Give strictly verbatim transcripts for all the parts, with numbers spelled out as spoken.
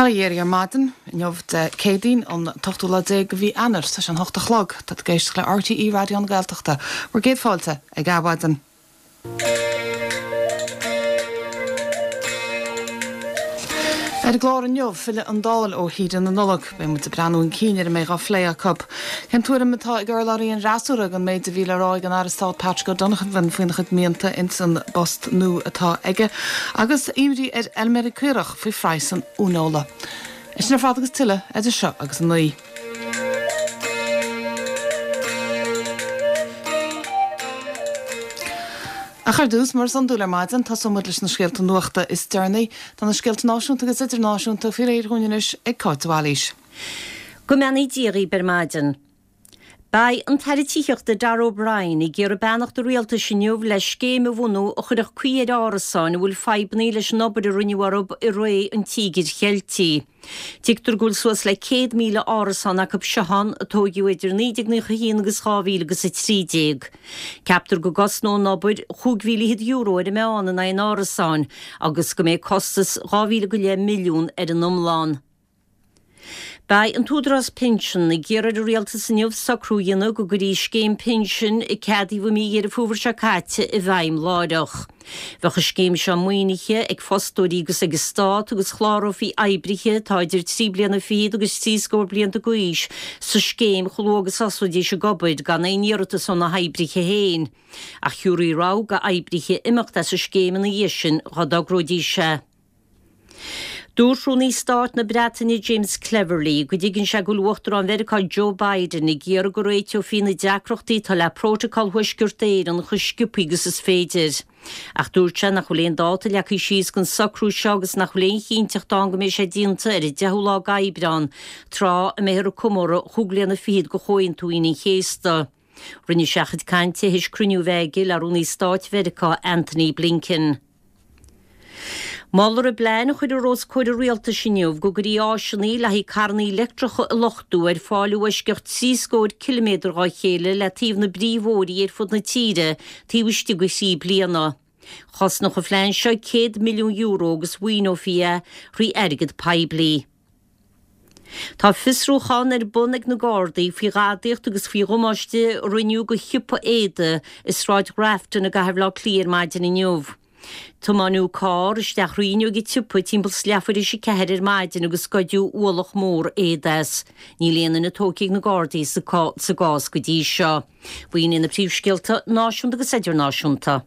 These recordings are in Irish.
Bail ó Dhia oraibh ar maidin, inniu Dé Céadaoin an t-ochtú lá déag de mhí Eanáir, tá sé an hocht a chlog, tá tú ag éisteacht le RTÉ Raidió na Gaeltachta, bhur gcéad fáilte ag Adhmhaidin. Ar an gclár inniu, filleadh an Dáil ó shaoire na Nollag. Beidh muid ag breathnú chun cinn ar a mbeidh á phlé acu. Cén tuairim atá ag urlabhraí an fhreasúra den méid a bhí le rá ag an Aire Stáit Patrick O'Donovan faoina chuid mianta ins an bpost nua atá aige? Agus imní ar fheilméaraí caorach faoi phraghas an uaineola. É sin ar fad agus tuilleadh idir seo agus a naoi. Ach ar dtús, mar is iondúil ar maidin, tosóidh muid leis na scéalta nuachta is deireanaí. Tá na scéalta náisiúnta agus idirnáisiúnta faoi réir dhúinn anois ag Cáit de Bhailís. Go mbeannaí Dia dhaoibh ar maidin. Beidh an tAire Tithíochta Darragh O'Brien ag iarraidh beannacht an Rialtais inniu le scéim a bhunú a chuirfeadh caoi ar árasáin a bhfuil fadhbanna leis an obair a rinneadh orthu i ré an Tíogair Cheiltigh. Tuigtear go bhfuil suas le céad míle árasán acu seo ann a tóigeadh idir naoi déag naocha a haon agus dhá mhíle agus a trí déag. Ceaptar go gcosnóidh an obair chúig mhíle fhichead euro ar an meán in aghaidh an árasáin agus go mbeidh costas dhá mhíle go leith milliún ar an iomlán. Beidh an tÚdarás Pinsean ag iarraidh ar an Rialtas inniu socrú a dhéanamh go gcuirfí scéim pinsin a ceadaíodh i mí Dheireadh Fómhair seo caite i bhfeidhm láithreach. Bheadh an scéim seo maoinithe ag fostóirí agus ag an Stát agus chlárófaí oibrithe atá idir trí bliana fichead agus trí scór blianta d'aois sa scéim chomh luath agus a thosóidís ag obair gan aon iarratas ó na hoibrithe féin. Ach thabharfaí rogha d'oibrithe imeacht as an scéim ina dhiaidh sin dá dtogróidís é. Dúirt Rúnaí Stáit na Breataine James Cleverly go dtuigeann sé go bhfuil Uachtarán Mheiriceá Joe Biden ag iarraidh go réiteofaí na deacrachtaí atá le Prótacal Thuaisceart Éireann chomh sciobtha agus is féidir. Ach dúirt sé nach bhfuil aon dáta leagtha síos don socrú seo agus nach bhfuil aon chinnteacht ann go mbeidh sé déanta ar an deichiú lá d'Aibreán, tráth a mbeifear ag comóradh chúig bliana fichead de Chomhaontú Aoine an Chéasta. Rinne sé a chuid cainte théis cruinniú a bheith aige le Rúnaí Stáit Mheiriceá Antony Blinken. Moltar i bplean a cuireadh os comhair an Rialtais inniu go gcuirfí áiseanna le haghaidh carranna leictreacha a luchtú ar fáil i bhfoisceacht trí scór ciliméadar dhá chéile le taobh na bpríomhbhóithrí ar fud na tíre taobh istigh de thrí bliana. Chosnódh an phlean seo céad milliún euro agus mhaoineofaí é thrí airgead poiblí. Tá fiosrúchán ar bun ag na Gardaí faoi ghadaíocht agus faoi dhamáiste a rinneadh do shiopa éadaigh i Sráid Ghrafton i gcathair Bhaile Átha Cliath ar maidin inniu. Tiomáineadh carr isteach thrí fhuinneog an tsiopa timpeall is leathuair théis a ceathair ar maidin agus goideadh ualach mór éadaigh as. Níl aon duine tógtha ag na Gardaí sa gcás go dtí seo. B'in iad na príomhscéalta náisiúnta agus idirnáisiúnta.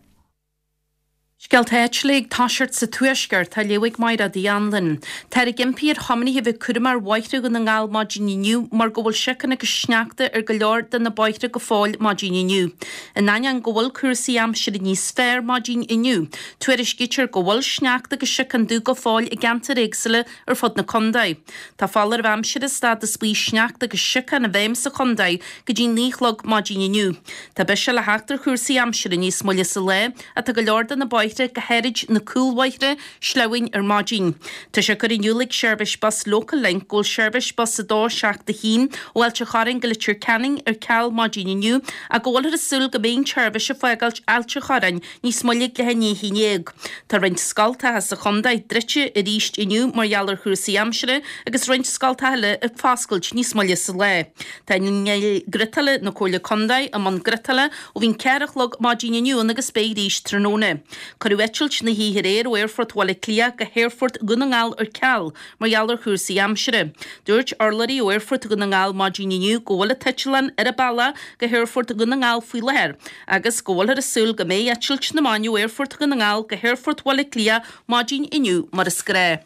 Scéalta áitiúla ag toiseacht sa Tuaisceart, á léamh ag Mairéad Uí Anluain. Táthar ag impí ar thiománaithe a bheith cúramach ar bhóithre Dhún na nGall maidin inniu mar go bhfuil síocán agus sneachta ar go leor de na bóithre go fóill maidin inniu. In ainneoin go bhfuil cúrsaí aimsire níos fearr maidin inniu, tuairiscítear go bhfuil sneachta agus síocán dubh go fóill i gceantair éagsúla ar fud na contae. Tá foláireamh aimsire stádas buí sneachta agus síocán i bhfeidhm sa chontae go dtí naoi a chlog maidin inniu. Tá biseach le theacht ar chúrsaí aimsire níos moille sa lá ach tá go leor de na bóithre, go háirid na cúlbhóithre, sleamhain ar maidin. Tá sé curtha in iúl ag seirbhís bus Local Link go bhfuil seirbhís bus a dó seacht a haon ó Ailt a' Chorráin go Leitir Ceanainn ar ceal maidin inniu ach go bhfuilthear ag súil go mbeidh an tseirbhís ag fágáilt Ailt a' Chorráin níos moille ag leath i ndiaidh a haon déag. Tá roinnt scoltacha sa chontae druidte arís inniu mar gheall ar chúrsaí aimsire agus roinnt scoltacha eile ag foscailt níos moille sa lá. Tá innill ghriotála na Comhairle Contae i mbun griotála ó bhí an ceathair a chlog maidin inniu ann agus beidh arís tráthnóna. Cuireadh eitilt na hoíche aréir ó Aerfort Bhaile Átha Cliath go hAerfort Dhún na nGall ar ceal mar gheall ar chúrsaí aimsire. Dúirt urlabhraí ó Aerfort Dhún na nGall maidin inniu go bhfuil an t-eitleán ar a bealach go hAerfort Dhún na nGall faoi láthair agus go bhfuilthear ag súil go mbeidh eitilt na maidine ó Aerfort Dhún na nGall go hAerfort Bhaile Átha Cliath maidin inniu mar is gnáth.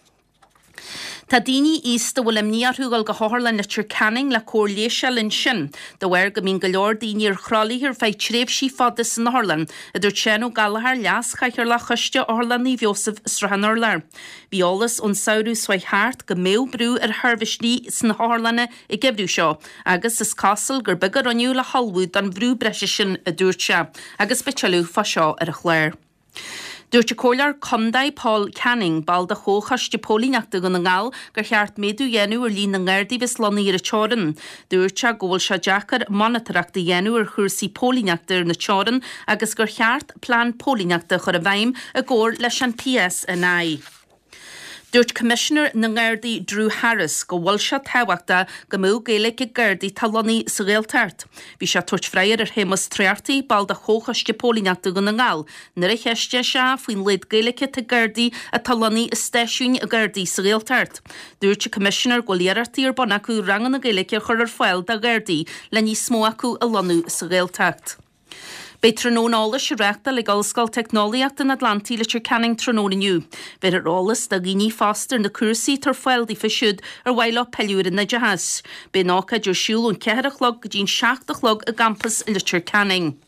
Tá daoine aosta a bhfuil imní orthu ag dul go hOtharlann Leitir Ceanainn le cóir leighis a fháil ansin, de bharr go mbíonn go leor daoine ar thralaithe ar feadh tréimhsí fada san otharlann, a dúirt Seán Ó Gallchóir, Leas-Chathaoirleach Choiste Otharlann Naomh Iósaf i Srath an Urláir. Bhí eolas ón samhradh seo thart go mbeadh brú ar sheirbhísí sna hotharlanna an geimhreadh seo agus is cosúil gur beag a rinneadh le hullmhú don bhrú breise sin, a dúirt sé, agus beidh tuilleadh fá seo ar an chlár. Dúirt an Comhairleoir Contae Paul Canning, ball de Chomhchoiste Póilíneachta Dhún na nGall, gur cheart méadú a dhéanamh ar líon na nGardaí a bheas lonnaithe ar an teorainn. Dúirt sé go bhfuil sé deacair monatóireacht a dhéanamh ar chúrsaí póilíneachta ar na teorann agus gur cheart plean póilíneachta a chur i bhfeidhm i gcomhar leis an PSNI. Dúirt Coimisinéir na nGardaí Drew Harris go bhfuil sé tábhachtach go mbeadh Gaeilge ag Gardaí atá lonnaithe sa Ghaeltacht. Bhí sé ag tabhairt freagra ar Shéamus Tréachtaí, ball de Chomhchoiste Póilíneachta Dhún na nGall, nuair a cheistigh sé faoin laghad Gaeilge atá ag Gardaí atá lonnaithe i stáisiúin Ghardaí sa Ghaeltacht. Dúirt an Coimisinéir go bhfuil iarrachtaí ar bun acu ranganna Gaeilge a chur ar fáil do Ghardaí le níos mó acu a lonnú sa Ghaeltacht. Beidh tráthnóna eolais á reáchtáil ag Ollscoil Teicneolaíochta an Atlantaigh Leitir Ceanainn tráthnóna inniu. Bhéarfar eolas do dhaoine fásta ar na cúrsaí atá ar fáil daofa siúd ar mhaith leo pilleadh ar an oideachas. Beidh an ócáid ar siúl ón ceathair a chlog go dtí an seacht a chlog i gcampas Leitir Ceanainn.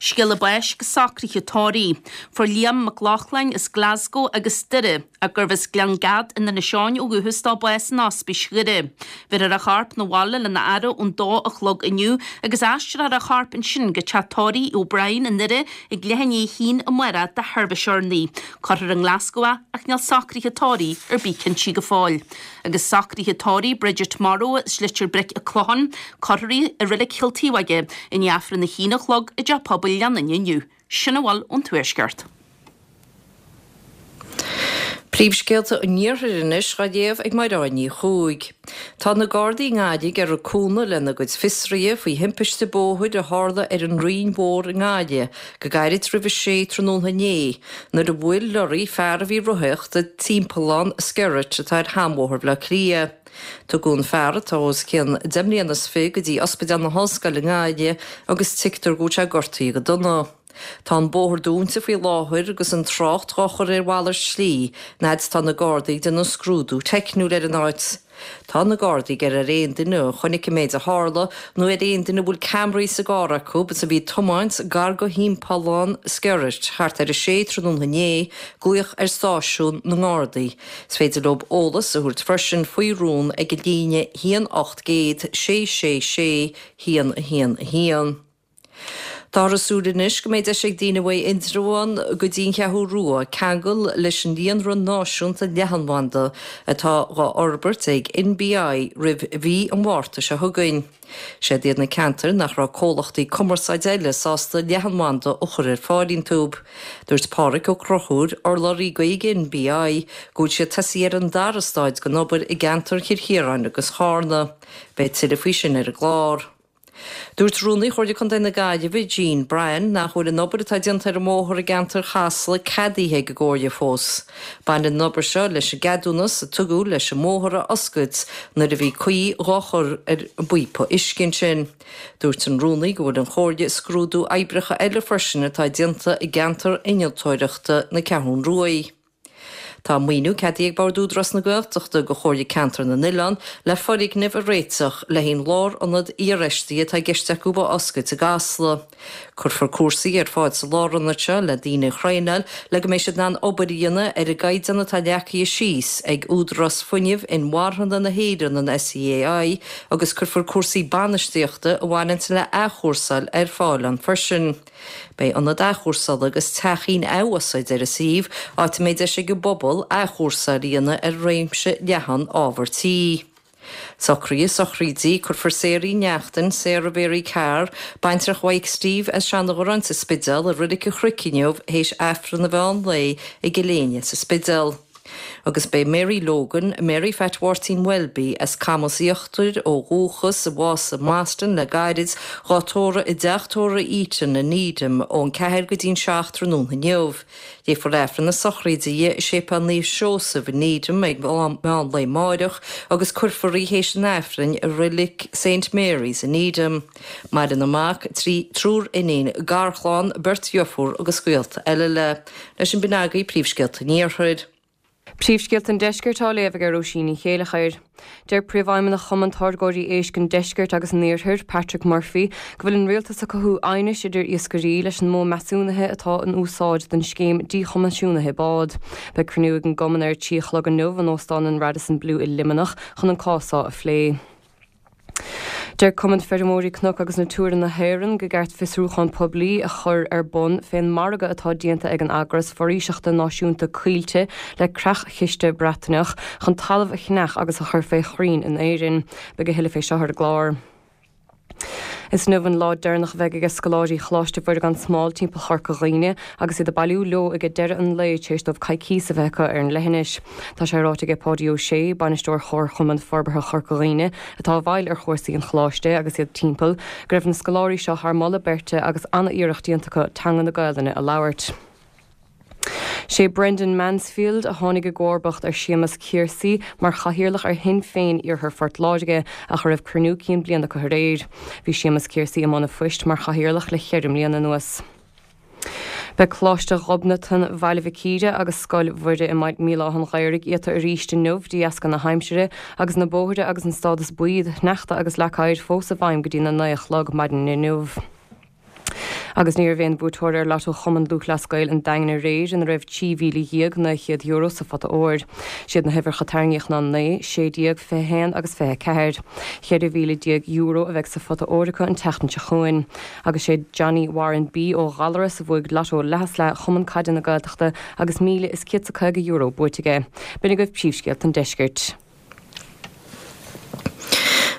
Scéala báis agus socruithe tórraimh. Fuair Liam Mac Lochlainn as Glasgow agus Doire, ach gurbh as Gleann Gad in Inis Eoghain ó dhúchas dó bás in Ospís Dhoire. Bhéarfar a chorp 'na bhaile lena fhaire ón dó a chlog inniu agus aistreofar a chorp ansin go teach tórraimh O'Brien i nDoire ag leath i ndiaidh a haon amárach do sheirbhís urnaí. Cuirfear i nGlasgow é ach níl socruithe tórraimh ar bith cinnte go fóill. Agus socruithe tórraimh Bridget Morrow as Leitir Bric an Chlocháin, cuirfear í i Reilig Chill Taobh i ndiaidh Aifreann a haon a chlog i dTeach Pobail Leanainn inniu. Sin a bhfuil ón Tuaisceart. Príomhscéalta an Iarthair anois á léamh ag Mairéad Ní Chuaig. Tá na Gardaí i nGaillimh ag iarraidh cúnamh lena gcuid fiosruithe faoi thimpiste bóthair a tharla ar an Rinn Mhór i nGaillimh go gairid roimh a sé tráthnóna inné nuair a bhuail lorry fear a bhí ag rothaíocht i dTimpeallán Skerrett atá ar Sheanbhóthar Bhaile Átha Cliath. Tugadh an fear atá os cionn deich mbliana is fiche go dtí Ospidéal na hOllscoile i nGaillimh agus tuigtear go bhfuil sé gortaithe go dona. Tá an bóthar dúnta faoi láthair agus an trácht á chur ar mhalairt slí, fhad is tá na Gardaí ag déanamh scrúdú teicniúil ar an áit. Tá na Gardaí ag iarraidh ar aon duine a chonaic an méid a tharla nó ar aon duine a bhfuil ceamaraí sa gcarr acu is a bhí ag tiomáint gar go Thimpeallán Skerrett thart ar a sé tráthnóna inné, glaoch ar stáisiún na nGardaí. Is féidir leo eolas a thabhairt freisin faoi rún ag an líne haon ocht gcéad sé sé sé haon a haon a haon. Táthar ag súil anois go mbeidh deis ag daoine uaidh Indreabhán go dtí an Cheathrú Rua ceangal leis an líonra náisiúnta leathanbhanda atá dhá fhorbairt ag NBI roimh mhí an Mhárta seo chugainn. Siad iad na ceantair nach raibh comhlachtaí cumarsáide eile sásta leathanbhanda a chur ar fáil iontu. Dúirt Pádraig Ó Conchúir, urlabhraí Gaeilge NBI, go bhfuil siad tosaithe ar an dara staid den obair i gceantar Chill Chiaráin agus Charna. Beidh tuilleadh faoi sin ar an gclár. Dúirt Rúnaí Chomhairle Contae na Gaillimhe, Jean Bryan, nach bhfuil an obair atá déanta ar an mbóthar i gceantar Chasla ceadaithe ag an gComhairle fós. Baineann an obair seo leis an gceadúnas a tugadh leis an mbóthar a oscailt nuair a bhí caoi dhá chur ar an bpíopa uisce ansin. Dúirt an Rúnaí go bhfuil an Chomhairle ag scrúdú oibreacha eile freisin atá déanta i gceantar innealtóireachta na Ceathrún Ruaidh. Tá maoiniú ceadaithe ag Bord Údarás na Gaeltachta do Chomhairle Ceantar na nOileán le foirgneamh a réiteach le haghaidh an lárionad iarfheistithe atá i gceist acu a oscailt i gCasla. Cuirfear cúrsaí ar fáil sa lárionad seo le daoine a thraenáil le go mbeidh siad in ann obair a dhéanamh ar an gcaighdeán atá leagtha síos ag Údarás Fuinnimh Inmharthana na hÉireann, an SEAI, agus cuirfear cúrsaí bainistíochta a bhaineann le athchúrsáil ar fáil ann freisin. Beidh ionad athchúrsála agus teachín athúsáide ar an suíomh, áit a mbeidh deis ag an bpobal athchúrsáil a dhéanamh ar réimse leathan ábhar tí. Socruithe sochraide, Cuirfear Sarah Uí Neachtain, Sarah Mhary Carr, baintreach Mhaidhc Steve as Seanadh sa Spidéal i Reilig an Chnoic inniu théis Aifreann an mheán lae i gCill Éinne sa Spidéal. Agus beidh Mary Logan, Mary Phat Mháirtín Welby, as Camas Íochtair ó dhúchas, a bhásaigh i mBoston le gairid, dhá tórramh i dteach tórraimh Eaton i Needham ón ceathair go dtí'n seacht tráthnóna inniu. Léifear Aifreann na sochraide di i Séipéal Naomh Seosamh i Needham ag meán lae amáireach agus cuirfear í théis an Aifrinn i Reilig Saint Mary's i Needham. Maireann a mac, trí triúr iníon, garchlann, beirt dheirfiúr agus gaolta eile léi. Leis sin b'in agaibh príomhscéalta an Iarthair. Príomhscéalta an Deiscirt á léamh ag Róisín Ní Chéilleachair. Deir Príomhfheidhmeannach Chumann Táirgeoirí Éisc an Deiscirt agus an Iarthair, Patrick Murphy, go bhfuil an rialtas ag cothú aighnis idir iascairí leis an modh measúnaithe atá in úsáid don scéim díchoimisiúnaithe bád. Beidh cruinniú ag an gcumann ar a trí a chlog inniu in Óstán an Radisson Blu i Luimneach chun an cás seo a phlé. Deir Cumann Feirmeoirí Cnoc agus Natura na hÉireann go gceart fiosrúchán poiblí a chur ar bun fén margadh atá déanta ag an eagras foraoiseachta náisiúnta Coillte le creach-chiste Breataineach chun talamh a cheannach agus a chur fé chrainn in Éirinn. Beidh a thuilleadh fé seo ar an gclár. Is inniu an lá deireanach a bheidh ag scoláirí Choláiste Mhuire gan Smál timpeall Chorca Dhuibhne agus iad ag bailiú leo ag deireadh an lae tar éis dóibh coicís a bheith acu ar an leithinis. Tá sé ráite ag Páidí Ó Sé, bainisteoir Chomharchumann Forbartha Chorca Dhuibhne, atá i bhfeighil ar chúrsaí an choláiste agus iad timpeall, go raibh na scoláirí seo thar moladh beirte agus an-iarracht déanta acu teanga na Gaelainne a labhairt. Sé Brendan Mansfield a tháinig i gcomharbacht ar Séamus Casey mar chathaoirleach ar Shinn Féin Iarthar Phort Láirge ach a raibh cruinniú cinn bliana acu aréir. Bhí Séamus Casey i mbun a phoist mar chathaoirleach le ceithre bliana anuas. Beidh Coláiste Ghobnatan Bhaile Mhic Íre agus Scoil Mhuire i Míle Átha an Ghaorthaidh iata arís inniu de dheasca na haimsire agus na bóithre agus an stádas buí sneachta agus leac oighir fós i bhfeidhm go dtí na naoi a chlog maidin inniu. Agus ní raibh aon bhuaiteoir ar Lotto Chumann Lúthchleas Gael an Daingin aréir ina raibh trí mhíle dhéag naoi chéad euro sa phota óir. Siad na huimhreacha a tarraingíodh ná naoi, sé déag, fiche haon agus fiche ceathair. Ceithre mhíle déag euro a bheidh sa phota óir acu an tseachtain seo chugainn. Agus sé Johnny Warren B ó Ghallaras a bhuaigh Lotto leath is leath Chumann Caide na Gaeltachta agus míle is céad is caoga euro buaite aige. B'in agaibh príomhscéalta an deiscirt.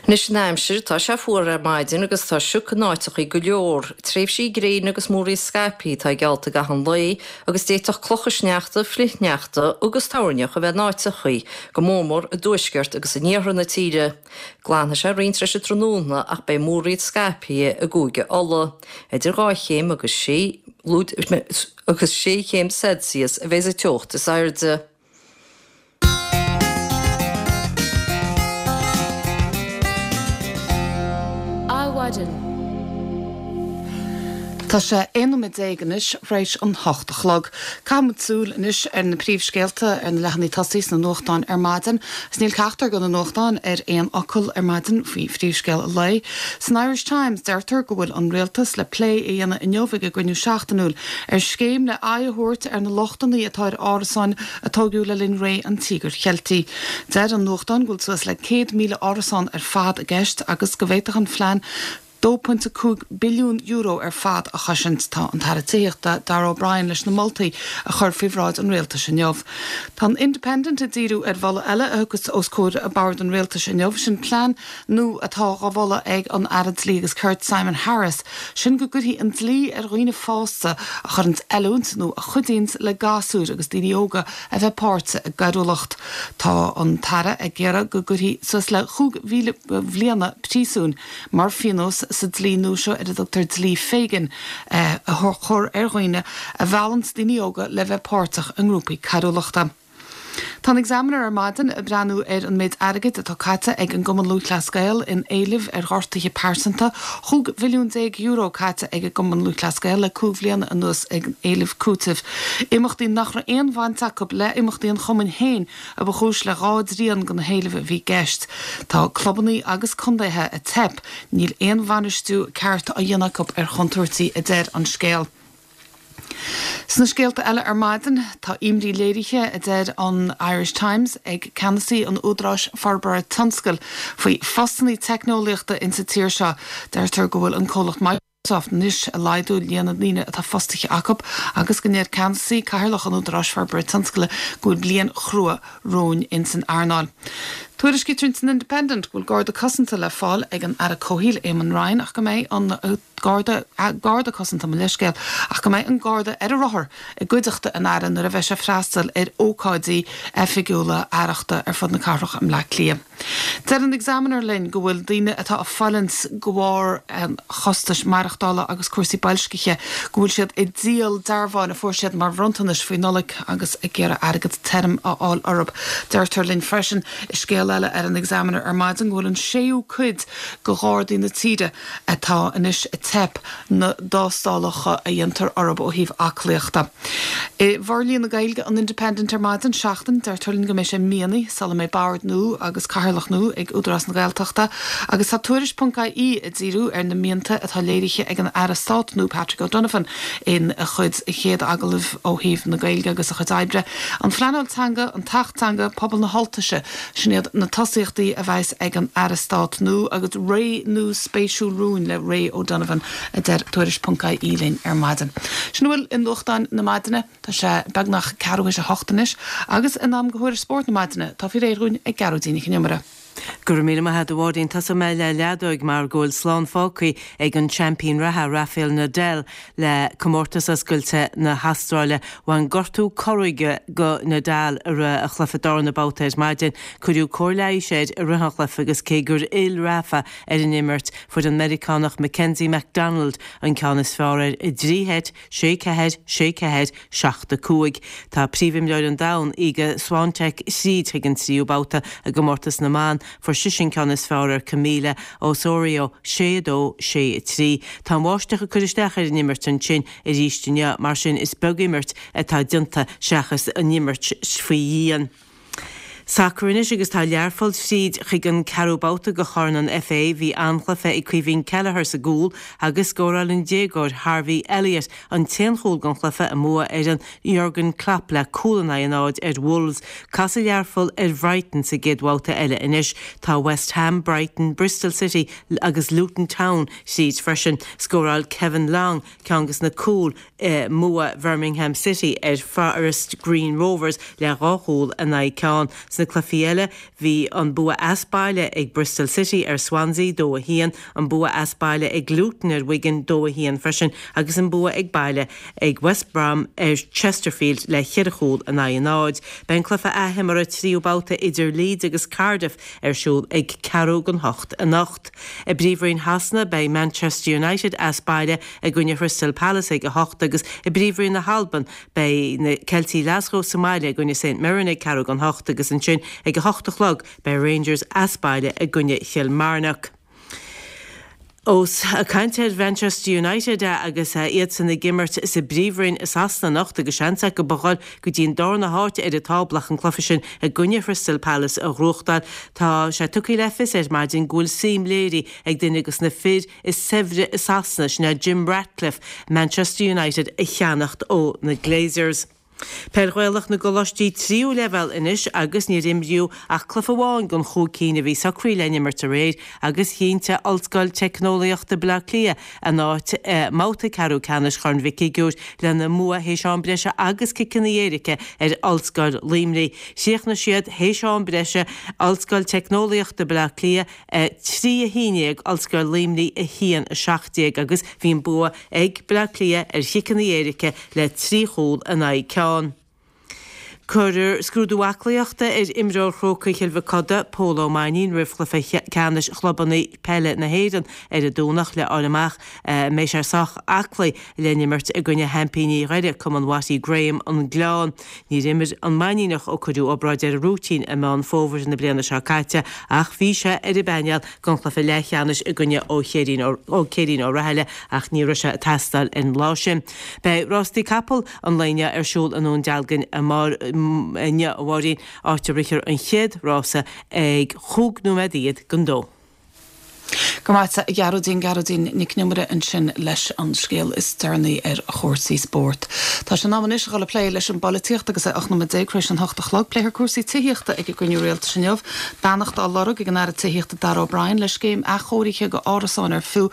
Anois an aimsir, tá sé fuar ar maidin agus tá sioc in áiteachaí go leor. Tréimhsí gréine agus múraíl scaipthe atá geallta i gcaitheamh an lae agus d'fhéadfadh clocha sneachta, flichshneachta agus toirneach a bheith in áiteachaí, go mórmór i dtuaisceart agus in iarthar na tíre. Glanfaidh sé roinnt tar éis an tráthnóna ach beidh múraíl scaipthe i gCúige Uladh. Idir dhá chéim agus sé agus sé chéim Celsius a bheidh sa teocht is airde. Adhmhaidin. Tá sé aon nóiméad déag anois tar éis an hocht a chlog. Caithfimid súil anois ar na príomhscéalta ar na leathanaigh tosaigh sna nuachtáin ar maidin. Is níl ceachtar de na nuachtáin ar aon fhocal ar maidin faoi phríomhscéal an lae. San Irish Times deirtear go bhfuil an rialtas le plé a dhéanamh inniu ag a gcruinniú seachtainiúil ar scéim le aghaidh a thabhairt ar na lochtanna atá ar árasáin a tógadh le linn ré an Tíogair Cheiltigh. Deir an nuachtán go bhfuil suas le céad míle árasán ar fad i gceist agus go bhféadfadh an phlean dó pointe cúig billiún euro ar fad a chosaint. Tá an tAire Tithíochta Darragh O'Brien leis na moltaí a chur faoi bhráid an rialtais inniu. Tá an Independent ag díriú ar mholadh eile a thiocfas os comhair bord an rialtais inniu, sin plean nua atá á mholadh ag an Aire Dlí agus Cirt Simon Harris, sin go gcuirfí an dlí ar dhaoine fásta a chuireanns oiliúint nó a chuidíonns le gasúir agus daoine óga a bheith páirteach i gcoiriúlacht. Tá an tAire ag iarraidh go gcuirfí suas le chúig bhliana príosúin mar phionós sa dlí nua seo ar a dtugtar dlí Fegan a chur ar dhaoine a mheallanns daoine óga le bheith páirteach i ngrúpaí coiriúlachta. Tá an Examiner ar maidin ag breathnú ar an méid airgid atá caite ag an gCumann Lúthchleas Gael in éilimh ar ghortuithe pearsanta. Chúig mhilliún déag euro caite ag an gCumann Lúthchleas Gael le cúig bhliana anuas ag éileamh cúitimh. Imeachtaí nach raibh aon bhaint acu le imeachtaí an chumainn féin a ba chúis le dhá dtrian de na héilimh a bhí i gceist. Tá clubanna agus contaetha ag teip, níl aon bhainistiú ceart á dhéanamh acu ar chontúirtí, a deir an scéal. Sna scéalta eile ar maidin, tá imní léirithe, a deir an Irish Times, ag ceannasaí an Údaráis Forbartha Tionscail faoi phostanna teicneolaíochta insa tír seo. Deirtear go bhfuil an comhlacht Microsoft anois ag laghdú líon na ndaoine atá fostaithe acu agus go ndeir ceannasaí cathaoirleach an Údaráis Forbartha Tionscail go bhfuil bliain chrua romhainn insan earnáil. Tuairiscítear in san Independent go bhfuil garda cosanta le fáil ag an Aire Comhshaoil Eamon Ryan ach go mbeidh an garda garda cosanta mo leithscéal ach go mbeidh an garda ar a rothar i gcuideachta an Aire nuair a bheidh sé ag freastal ar ócáidí oifigiúla aireachta ar fud na cathrach i mBleá Cliath. Deir an Examiner linn go bhfuil daoine atá ag fulaingt de bharr chostais maireachtála agus cúrsaí boilscithe go bhfuil siad ag díol dearbháin a fuair siad mar bhronntanais faoi Nollaig agus ag iarraidh airgead tirim a fháil orthu. Deirtear linn freisin i scéal eile ar an Examiner ar maidin go bhfuil an séú cuid de ghardaí na tíre atá anois ag teip na dtástálacha a dhéantar orthu ó thaobh aclaíochta. I bhforlíonadh Gaeilge an Independent ar maidin, seachtain, deirtear linn go mbeidh sé míonna sula mbeidh bord nua agus cathaoirleach nua ag Údarás na Gaeltachta agus tá Tuairisc ponc ie ag díriú ar na mianta atá léirithe ag an Aire Stáit nua Patrick O'Donovan in a chuid chéad agallamh ó thaobh na Gaeilge agus a chuid oibre. An phleanáil teanga, an tAcht Teanga, pobal na hUltaise, sin iad na tosaíochtaí a bheas ag an Aire Stáit nua agus ré nua spéisiúil romhainn le Ray O'Donovan, a deir Tuairisc ponc ie linn ar maidin. Sin a bhfuil i nuachtáin na maidine. Tá sé beagnach ceathrú théis a hocht anois agus in am do thuairisc spóirt na maidine, atá faoi réir dhúinn ag Gearóidín Nic Con Iomaire. Go raibh míle maith agat a Mháirín. Tosóidh mé le leadóg mar go bhfuil slán fágtha ag an seaimpín reatha Rafael Nadal le comórtas oscailte na hAstráile. Bhain gortú corróige go Nadal i rith a chluiche darna babhta ar maidin. Cuireadh cóir leighis air i rith an chluiche agus cé gur fhill Rafa ar an imirt, fuair an Meiriceánach Mackenzie McDonald an ceann is fearr air i dtrí sheit, sé ceathair, sé ceathair, seacht a cúig. Tá príomhimreoir an domhain, Iga Swiatek tríd chuig an tríú babhta i gcomórtas na mban. Fuair sise an ceann is fearr ar Camila Osorio, sé a dó, sé a trí. Tá an bháisteach ag cur isteach ar an imirt ansin arís inniu, mar sin is beag imirt atá déanta seachas an imirt faoi dhíon. Sacar anois agus tá Learpholl tríd chuig an ceathrú babhta de Chorn an FA. Bhí an-chluiche ag Caoimhín Kelleher sa gcúl agus scóráil an déagóir Harvey Elliott an t-aon chúl den chluiche i mbua fhoireann Jurgen Klopp le cúl in aghaidh a náid ar Wolves. Casfaidh Learpholl ar Bhrighton sa gcéad bhabhta eile anois. Tá West Ham, Brighton, Bristol City agus Luton Town tríd freisin. Scóráil Kevin Long ceann de na cúil i mbua Bhirmingham City ar Forest Green Rovers le dhá chúl in aghaidh ceann. Sna cluichí eile bhí an bua as baile ag Bristol City ar Swansea dó a haon, an bua as baile ag Luton ar Wigan dó a haon freisin agus an bua ag baile ag West Brom ar Chesterfield le ceithre chúl in aghaidh a náid. Beidh an cluiche athimeartha tríú babhta idir Leeds agus Cardiff ar siúl ag ceathrú don hocht anocht. I bPríomhroinn Shasana beidh Manchester United as baile i gcoinne Crystal Palace ag a hocht agus i bPríomhroinn na hAlban beidh na Ceiltigh Ghlaschú sa mbaile i gcoinne St Mirren ag ceathrú don hocht agus ansin ag a hocht a chlog beidh Rangers as baile i gcoinne Kilmarnock. Ós ag caint ar Manchester United agus iadsan ag imirt sa bPríomhroinn i Sasana anocht agus seans acu a dhul go dtí an darna háit ar an tábla ach an cluiche sin i gcoinne Crystal Palace a ghnóthachtáil. Tá sé tugtha le fios ar maidin go bhfuil suim léirithe ag duine de na fir is saibhre i Sasana, sin é Jim Ratcliffe, Manchester United a cheannacht ó na Glazers. Peil Ghaelach na gcoláistí tríú leibhéal anois agus níor imríodh ach cluiche amháin den chúig cinn a bhí socraithe le n-imirt aréir agus chinntigh Ollscoil Teicneolaíochta Baile Átha Cliath a n-áit i mbabhta ceathrú ceannais Chorn Mhic Shigiúir lena mbua théis am breise agus ciceanna éirice ar Ollscoil Luimnigh. Chríochnaigh siad théis am breise, Ollscoil Teicneolaíochta Baile Átha Cliath a trí a haon déag, Ollscoil Luimnigh a haon a seacht déag agus bhí an bua ag Baile Átha Cliath ar chiceanna éirice le trí chúl in aghaidh ceann. Cuirfear scrúdú aclaíochta ar imreoir Chrócaigh Chill Mhic Coda, Pól Ó Mainnín, roimh chluiche ceannais chlubanna peile na hÉireann ar an Domhnach le fháil amach an mbeidh sé sách aclaí le n-imirt i gcoinne sheaimpíní Dhoire, Cumann Watty Graham, An Gleann. Níor imir an Mainníneach ó cuireadh obráid air ar a rúitín i Meán Fómhair na bliana seo caite ach bhí sé ar an bpainéal don chluiche leathcheannais i gcoinne Ó Céirín Ó Rathaille ach ní raibh sé ag teastáil ar an lá sin. Beidh rástaí capall an lae inniu ar siúl i nDún Dealgan inniu, a Mháirín, áit a rithfear an chéad rása ag chúig nóiméad fhichead don dó. Go raibh maith agat, a Ghearóidín, Gearóidín Nic an Iomaire ansin leis an scéal is deireanaí ar chúrsaí spóirt. Tá sé in am anois a dhul ag plé leis an bpolaitíocht agus é ocht nóiméad déag tar éis an hocht a chlog. Pléifear cúrsaí tithíochta ag an gcruinniú rialtais inniu. Beannacht á lorg ag an Aire Tithíochta Darragh O'Brien le scéim athchóirithe go árasáin ar fiú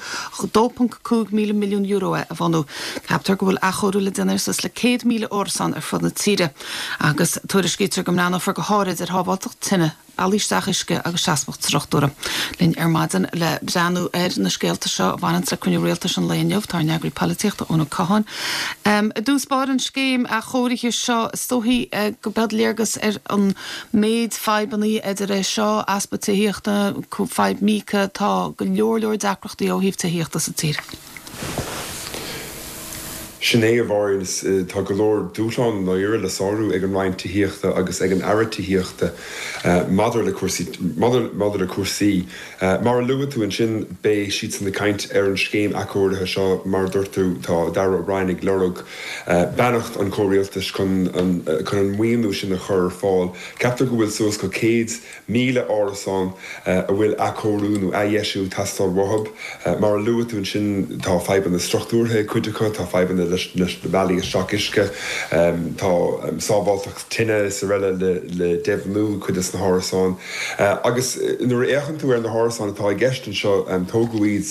dó ponc cúig míle milliún euro é a bhunú. Ceaptar go bhfuil athchóiriú le déanamh ar suas le céad míle árasán ar fud na tíre agus tuairiscítear go mbreathnófar go háirid ar shábháilteacht tine, bealaí isteach uisce agus seasmhacht struchtúrtha. Linn ar maidin le breathnú ar na scéalta seo a bhaineanns le cruinniú rialtais an lae inniu, tá ár n-eagraí polaitíochta, Eoin Ó Catháin. I dtús báire an scéim athchóirithe seo, is dóichí go mbeadh léargas ar an méid fadhbannaí idir é seo, easpa tithíochta, fadhb Míoca, tá go leor leor deacrachtaí ó thaobh tithíochta sa tír. Sin é, a Mháirín, tá go leor dúshlán dáiríre le sárú ag an Roinn Tithíochta agus ag an Aire Tithíochta maidir le cúrsaí, maidir le cúrsaí. Mar a luaigh tú ansin, beidh siadsan ag caint ar an scéim athchóirithe seo. Mar a dúirt tú, tá Darragh O'Brien ag lorg beannacht an chomhrialtais chun an chun an maoiniú sin a chur ar fáil. Ceaptar go bhfuil suas go céad míle árasán a bhfuil athchóiriú nó athdheisiú ag teastáil uathu. Mar a luaigh tú ansin, tá fadhbanna struchtúrtha ag cuid acu, tá fadhbanna leis na bealaí isteach uisce, tá sábháilteacht tine is araile le deimhniú cuid de na hárasáin. Agus nuair a fhéachann tú ar na hárasáin atá i gceist anseo, tógadh iad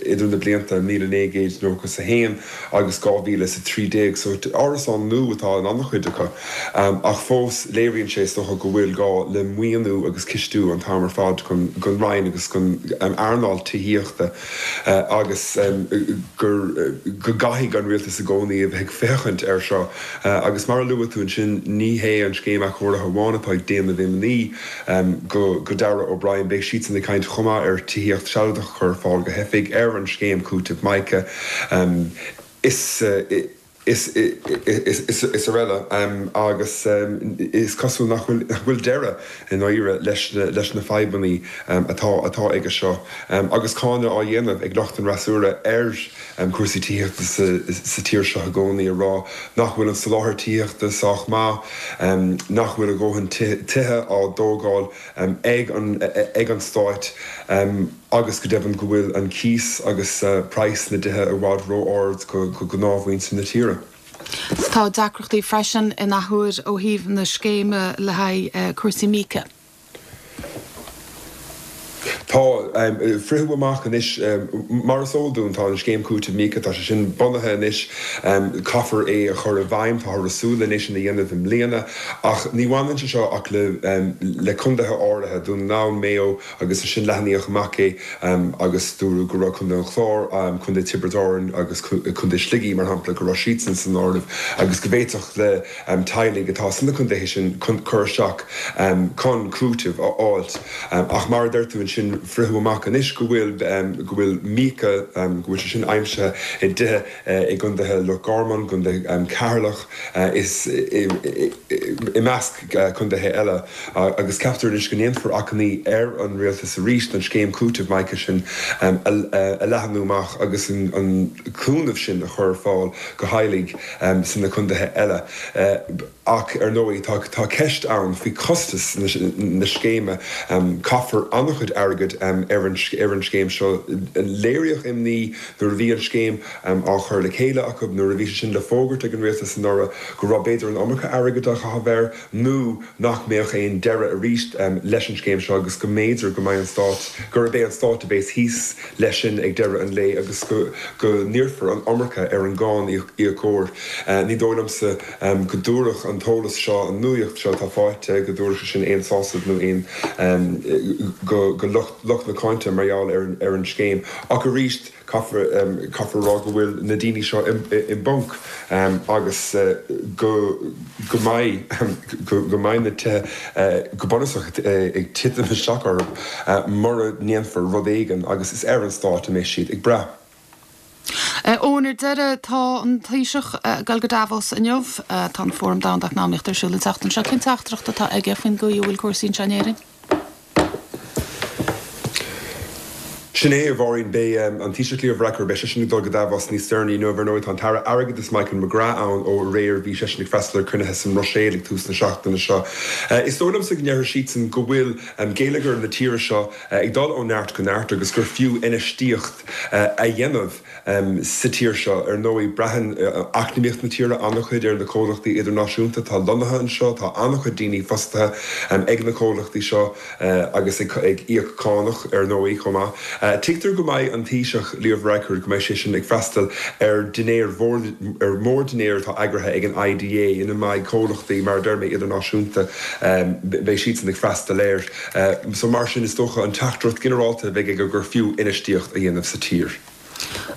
idir na blianta míle naoi gcéad nócha is a haon agus dhá mhíle is a trí déag, so árasáin nua atá in an-chuid acu. Ach fós léiríonn sé is dócha go bhfuil gá le maoiniú agus cistiú an t-am ar fad don Roinn agus don earnáil tithíochta agus gur go gcaithfidh an rialtas i gcónaí a bheith ag féachaint air seo. Agus mar a luaigh tú ansin, ní hé an scéim athchóirithe amháin atá ag déanamh imní go go Darragh O'Brien, beidh siadsan ag caint chomh maith ar tithíocht sealadach a chur ar fáil go theifigh, ar an scéim cúitimh Mica. Is. is is araile agus is cosúil nach bhfuil deireadh i ndáiríre leis na fadhbanna atá atá aige seo agus cáineadh á dhéanamh ag lucht an fhreasúra ar chúrsaí tithíochta sa tír seo i gcónaí ag rá nach bhfuil an soláthar tithíochta sách maith, nach bhfuil a dhóthain tithe á dtógáil ag an ag an Stát. agus go deimhin go bhfuil an cíos agus praghas na dtithe i bhfad ró-ard go gnáthmhuintir na tíre. Tá deacrachtaí freisin in athuair ó thaobh na scéime le haghaidh cúrsaí míoca. Tá. Fritheadh amach anois, mar is eol dúinn, tá an scéim cúitimh míoca, tá sé sin bunaithe anois, caithfear é a chur i bhfeidhm, táthar ag súil anois ina dhéanamh i mbliana, ach ní bhaineann sé seo ach le le contaetha áirithe, Dún na nGall, Maigh Eo agus ansin leathnaíodh amach é agus dúradh go raibh Contae an Chláir, Contae Tiobraid Árann agus Contae Shligigh, mar shampla, go raibh siadsan san áireamh agus go bhféadfadh le teaghlaigh atá sna contaetha sin cur isteach chun cúiteamh a fháilt. Ach mar a deir tú ansin, fritheadh amach anois go bhfuil go bhfuil míoca, go bhfuil sé sin aimsithe i dtithe i gcontaetha Loch Garman, gcontae Cheatharlach is i measc contaetha eile agus ceaptar anois go ndéanfar achainí ar an rialtas arís an scéim cúitimh míoca sin a leathnú amach agus an cúnamh sin a chur ar fáil go theaghlaigh sna contaetha eile. Ach, ar ndóigh, tá tá ceist ann faoi chostas na scéime. Caithfear an-chuid airgid ar an ar an scéim seo. Léiríodh imní nuair a bhí an scéim á chur le chéile acu, nuair a bhí sé sin le fógairt ag an rialtas anuraidh, go raibh b'fhéidir an iomarca airgid á chaitheamh air nó nach mbeadh aon deireadh arís leis an scéim seo agus go mb'fhéidir go mbeidh an stát, gurb é an stát a bheas thíos leis sin ag deireadh an lae agus go go n-iarrfar an iomarca ar an gcáiníocóir. Ní dóigh liomsa go dtabharfadh an t-eolas seo, an nuaíocht seo atá faighte, go dtabharfadh sé sin aon sásamh nó aon go go lucht lucht na cáinte mar gheall ar ar an scéim. Ach arís, caithfear caithfear a rá go bhfuil na daoine seo i i bponc agus go go mbeidh go go mbeidh na tithe go bunúsach ag titim isteach orthu mura ndéanfar rud éigin agus is ar an stát a mbeidh siad ag brath. Eoin, ar deireadh, tá an Taoiseach ag dul go Davos inniu. Tá an Fóram Domhanda Eacnamaíochta ar siúl an tseachtain seo. Cén teachtaireacht atá aige faoin gcaoi a bhfuil cúrsaí anseo in Éirinn? Sin é, a Mháirín. Beidh an Taoiseach Leo Varadkar, beidh seisean ag dul go Davos níos deireanaí inniu. Ar ndóigh, tá an tAire Airgeadais Michael McGrath ann ó aréir. Bhí seisean ag freastal ar chruinnithe sa mBruiséil ag tús na seachtaine seo. Is dóigh liomsa go ndéarfaidh siadsan go bhfuil geilleagar na tíre seo ag dul ó neart go neart agus gur fiú infheistíocht a dhéanamh sa tír seo. Ar ndóigh, braitheann eacnamaíocht na tíre an-chuid ar na comhlachtaí idirnáisiúnta atá lonnaithe anseo. Tá an-chuid daoine fostaithe ag na comhlachtaí seo agus ag íoc cánach, ar ndóigh, chomh maith. Tuigtear go mbeidh an Taoiseach, Leo Varadkar, go mbeidh seisean ag freastal ar dhinnéar ar mhórdhinnéar atá eagraithe ag an IDA ina mbeidh comhlachtaí, mar a deir mé, idirnáisiúnta, beidh siadsan ag freastal air. So mar sin, is dócha an teachtaireacht ghinearálta a bheidh aige gur fiú infheistíocht a dhéanamh sa tír.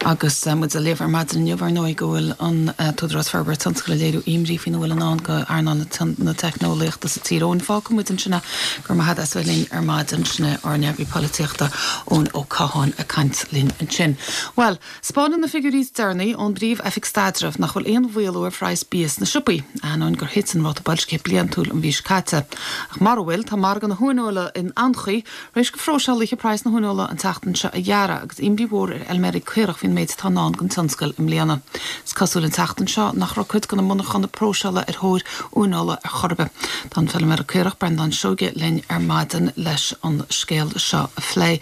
Agus muid ag léamh ar maidin inniu, ar ndóigh, go bhfuil an tÚdarás Forbartha Tionscail ag léiriú imní faoina bhfuil i ndán go earnáil na teicneolaíochta sa tír. Eoin, fágfaidh muid ansin é. Go raibh maith agat as bheith linn ar maidin. Sin é ár n-eagraí polaitíochta, Eoin Ó Catháin, ag caint linn ansin. Bhuel, 'spáineann na figiúirí is deireanaí ón bPríomh-Oifig Staidrimh nach bhfuil aon mhaolú ar phraghas bia sna siopaí, ainneoin gur thit an ráta boilscithe bliantúil an mhí seo caite. Ach mara bhfuil, tá margadh na huaineola in anchaoi, tar éis go phróiseálaithe praghas na huaineola an tseachtain seo a ghearradh agus imní mhór ar fheilméaraí caorach faoin méid atá i ndán don tionscal i mbliana. Is cosúil an tseachtain seo nach raibh cuid de na monarchana próiseála ar thóir uaineola ar chor ar bith. Tá an feilméara caorach Breandán Seoige linn ar maidin leis an scéal seo a phlé.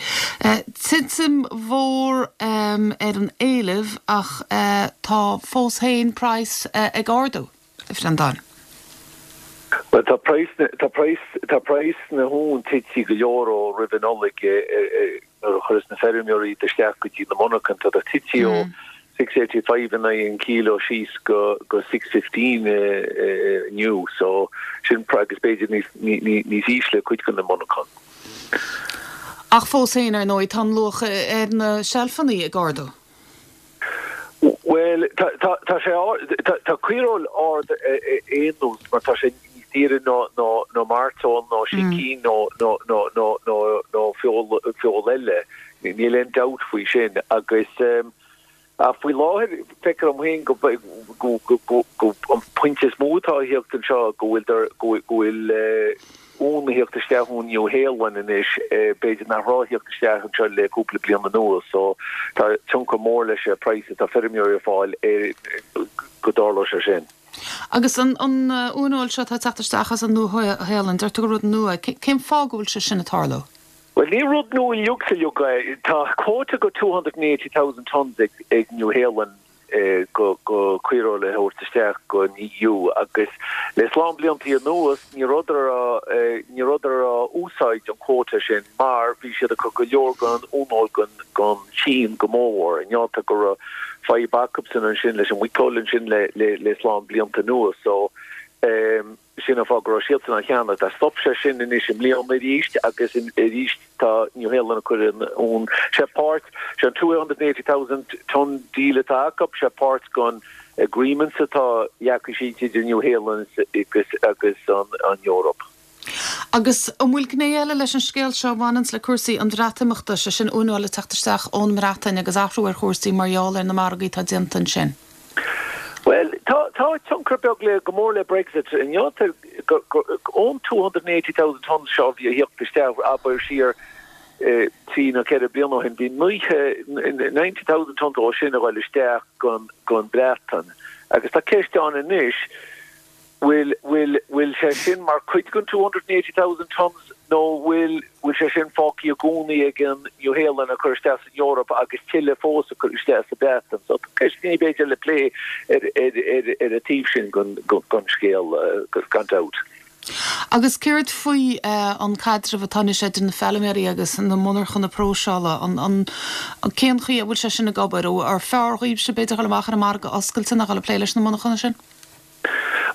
Titim mhór ar an éileamh ach tá fós féin praghas ag ardú, a Bhreandáin. Bhuel tá praghas tá praghas tá praghas na huan tite go leor ó roimh an Nollaig nuair a chuireas na feirmeoirí iad isteach go dtí na monarchana tá tite ó six eighty five in aghaidh an kilo síos go go six fifteen inniu so sin agus b'fhéidir níos níos ísle cuid de na monarchana. Ach fós féin ar ndóigh tá an luach ar na seilfeanna ag ardú. Bhuel tá tá tá sé tá tá caoireoil ard aon nós mar tá sé níos daoire ná ná ná mairteoil nó sicín nó nó nó nó nó nó feoil feoil eile. Níl aon dabht faoi sin agus um, ach faoi láthair feictear dom féin go go go go go an pointe is mó atá ag theacht anseo go bhfuil go go bhfuil uan ag theacht isteach ón Nua-Shéalainn anois, b'fhéidir nach raibh ag theacht isteach anseo le cúpla bliain anuas, so tá tionchar mór leis an praghas atá feirmeoirí ag fáil ar go dtarlódh sé sin. Agus an an uaineoil seo atá ag teacht isteach as an Nua-Shéalainn, deir tú gur rud nua, cén fáth go bhfuil sé sin ag tarlú? Bhuel ní rud nua uilig is uilig é, tá quota go two hundred and eighty thousand tonnes ag ag Nua-Shéalainn go go caoireoil a thabhairt isteach go an EU agus le slám blianta anuas ní rabhadar á ní rabhadar á úsáid an quota sin mar bhí siad ag cur go leor den uaineoil gon gon tSín go mórmhór. Innealta go raibh fadhb acubsan ansin leis an muiceoil ansin le le le slám blianta anuas so sin an fáth go raibh siadsan á cheannach. Tá stop sé sin anois i mbliana arís agus arís tá Nua-Shéalainn ag cur an uan. Sé páirt, sé an two hundred and eighty thousand tonne deal atá acu, sé páirt den agreements atá leagtha síos idir Nua-Shéalainn agus agus an an Eoraip. Agus an bhfuil gné eile leis an scéal seo a bhaineanns le cúrsaí an Bhreatimeachta, sé sin uaineoil ag teacht isteach ón mBreatain agus athrú ar chúrsaí mar gheall ar na margaí atá déanta ansin? Bhuel, tá tá tionchar beag le go mór le Brexit. Inniu ón two hundred and eighty thousand tonnes seo a bhí ag theacht isteach, abair siar trí nó ceithre bliana ó shin, bhí naocha, ninety thousand tonnes ó sin a ghoil isteach gon gon Breatain. Agus tá ceist ann anois, bhfuil bhfuil bhfuil sé sin mar chuid den two hundred and eighty thousand tonnes nó bhfuil bhfuil sé sin fágtha i gcónaí ag an Nua-Shéalainn a chur isteach san Eoraip agus tuilleadh fós a chur isteach sa Bhreatain. So tá ceisteanna b'fhéidir le plé ar ar ar ar an taobh sin den den scéal gan dabht. Agus céard faoi an caidreamh atá anois idir na feilméaraí agus na monarchana próiseála, an an cén chaoi a bhfuil sé sin ag obair? Ó ar fearr dhaoibhse b'fhéidir dhul amach ar an margadh oscailte ná dhul ag plé leis na monarchana sin?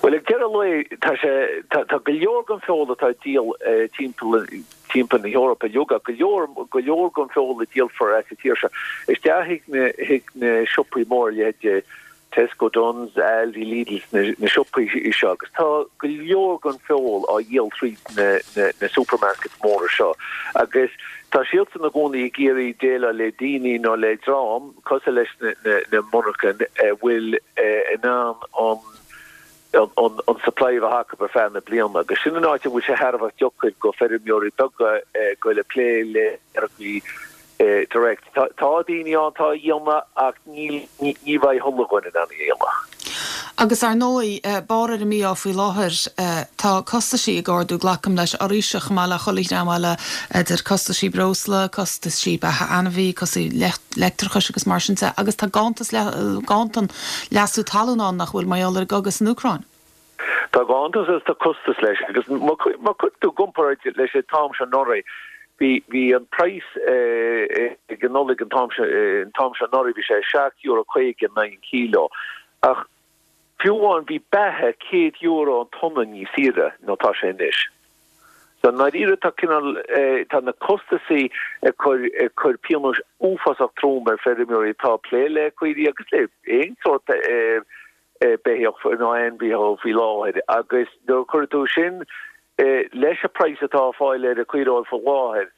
Bhuel, ag deireadh lae, tá sé, tá, tá go leor den feoil atá á díol timpeall, timpeall na hEorpa uilig, ach go leor, go leor den feoil a díolfar as an tír seo isteach chuig na, chuig na siopaí móra, leithéid Tesco, Dunnes, Aldi, Lidl, na, na siopaí seo, agus tá go leor den feoil á dhíol tríd na, na, na supermarkets móra seo. Agus tá siadsan i gcónaí ag iarraidh déileáil le daoine nó le dream cosúil leis na, na, na monarchain a bhfuil in ann an, an supply a bheith acu ar feadh na bliana agus sin an áit a bhfuil sé thar a bheith deacair go feirmeoirí beaga goil ag plé le margaí direct. Tá daoine ann atá á dhéanamh ach ní ní bheidh chuile dhuine in ann a dhéanamh. Agus ar ndóigh, barr ar an mí-ádh faoi láthair, tá costaisí ag ardú, glacaim leis, oraibhse chomh maith le chuile dhream eile, idir costaisí breosla, costaisí beatha ainmhí, costaisí leictreachais agus mar sin de, agus tá ganntas, ganntan leasú talún ann nach bhfuil mar gheall ar an gcogadh san Úcráin. Tá ganntas agus tá costas leis agus má chuir tú i gcomparáid leis an t-am seo anuraidh, bhí bhí an praghas ag an Nollaig an t-am seo an t-am seo anuraidh bhí sé seacht euro caoga in aghaidh an kíló ach fiú amháin bhí beatha céad euro an tonna níos saoire ná tá sé anois. So i ndáiríre tá cineál tá na costasaí ag cur ag cur pionós uafásach trom ar feirmeoirí atá ag plé le caoirigh agus le aon sórt beithíoch nó ainmhithe faoi láthair agus nuair a chuireann tú sin leis an praghas atá á fáil ar an caoireoil faoi láthair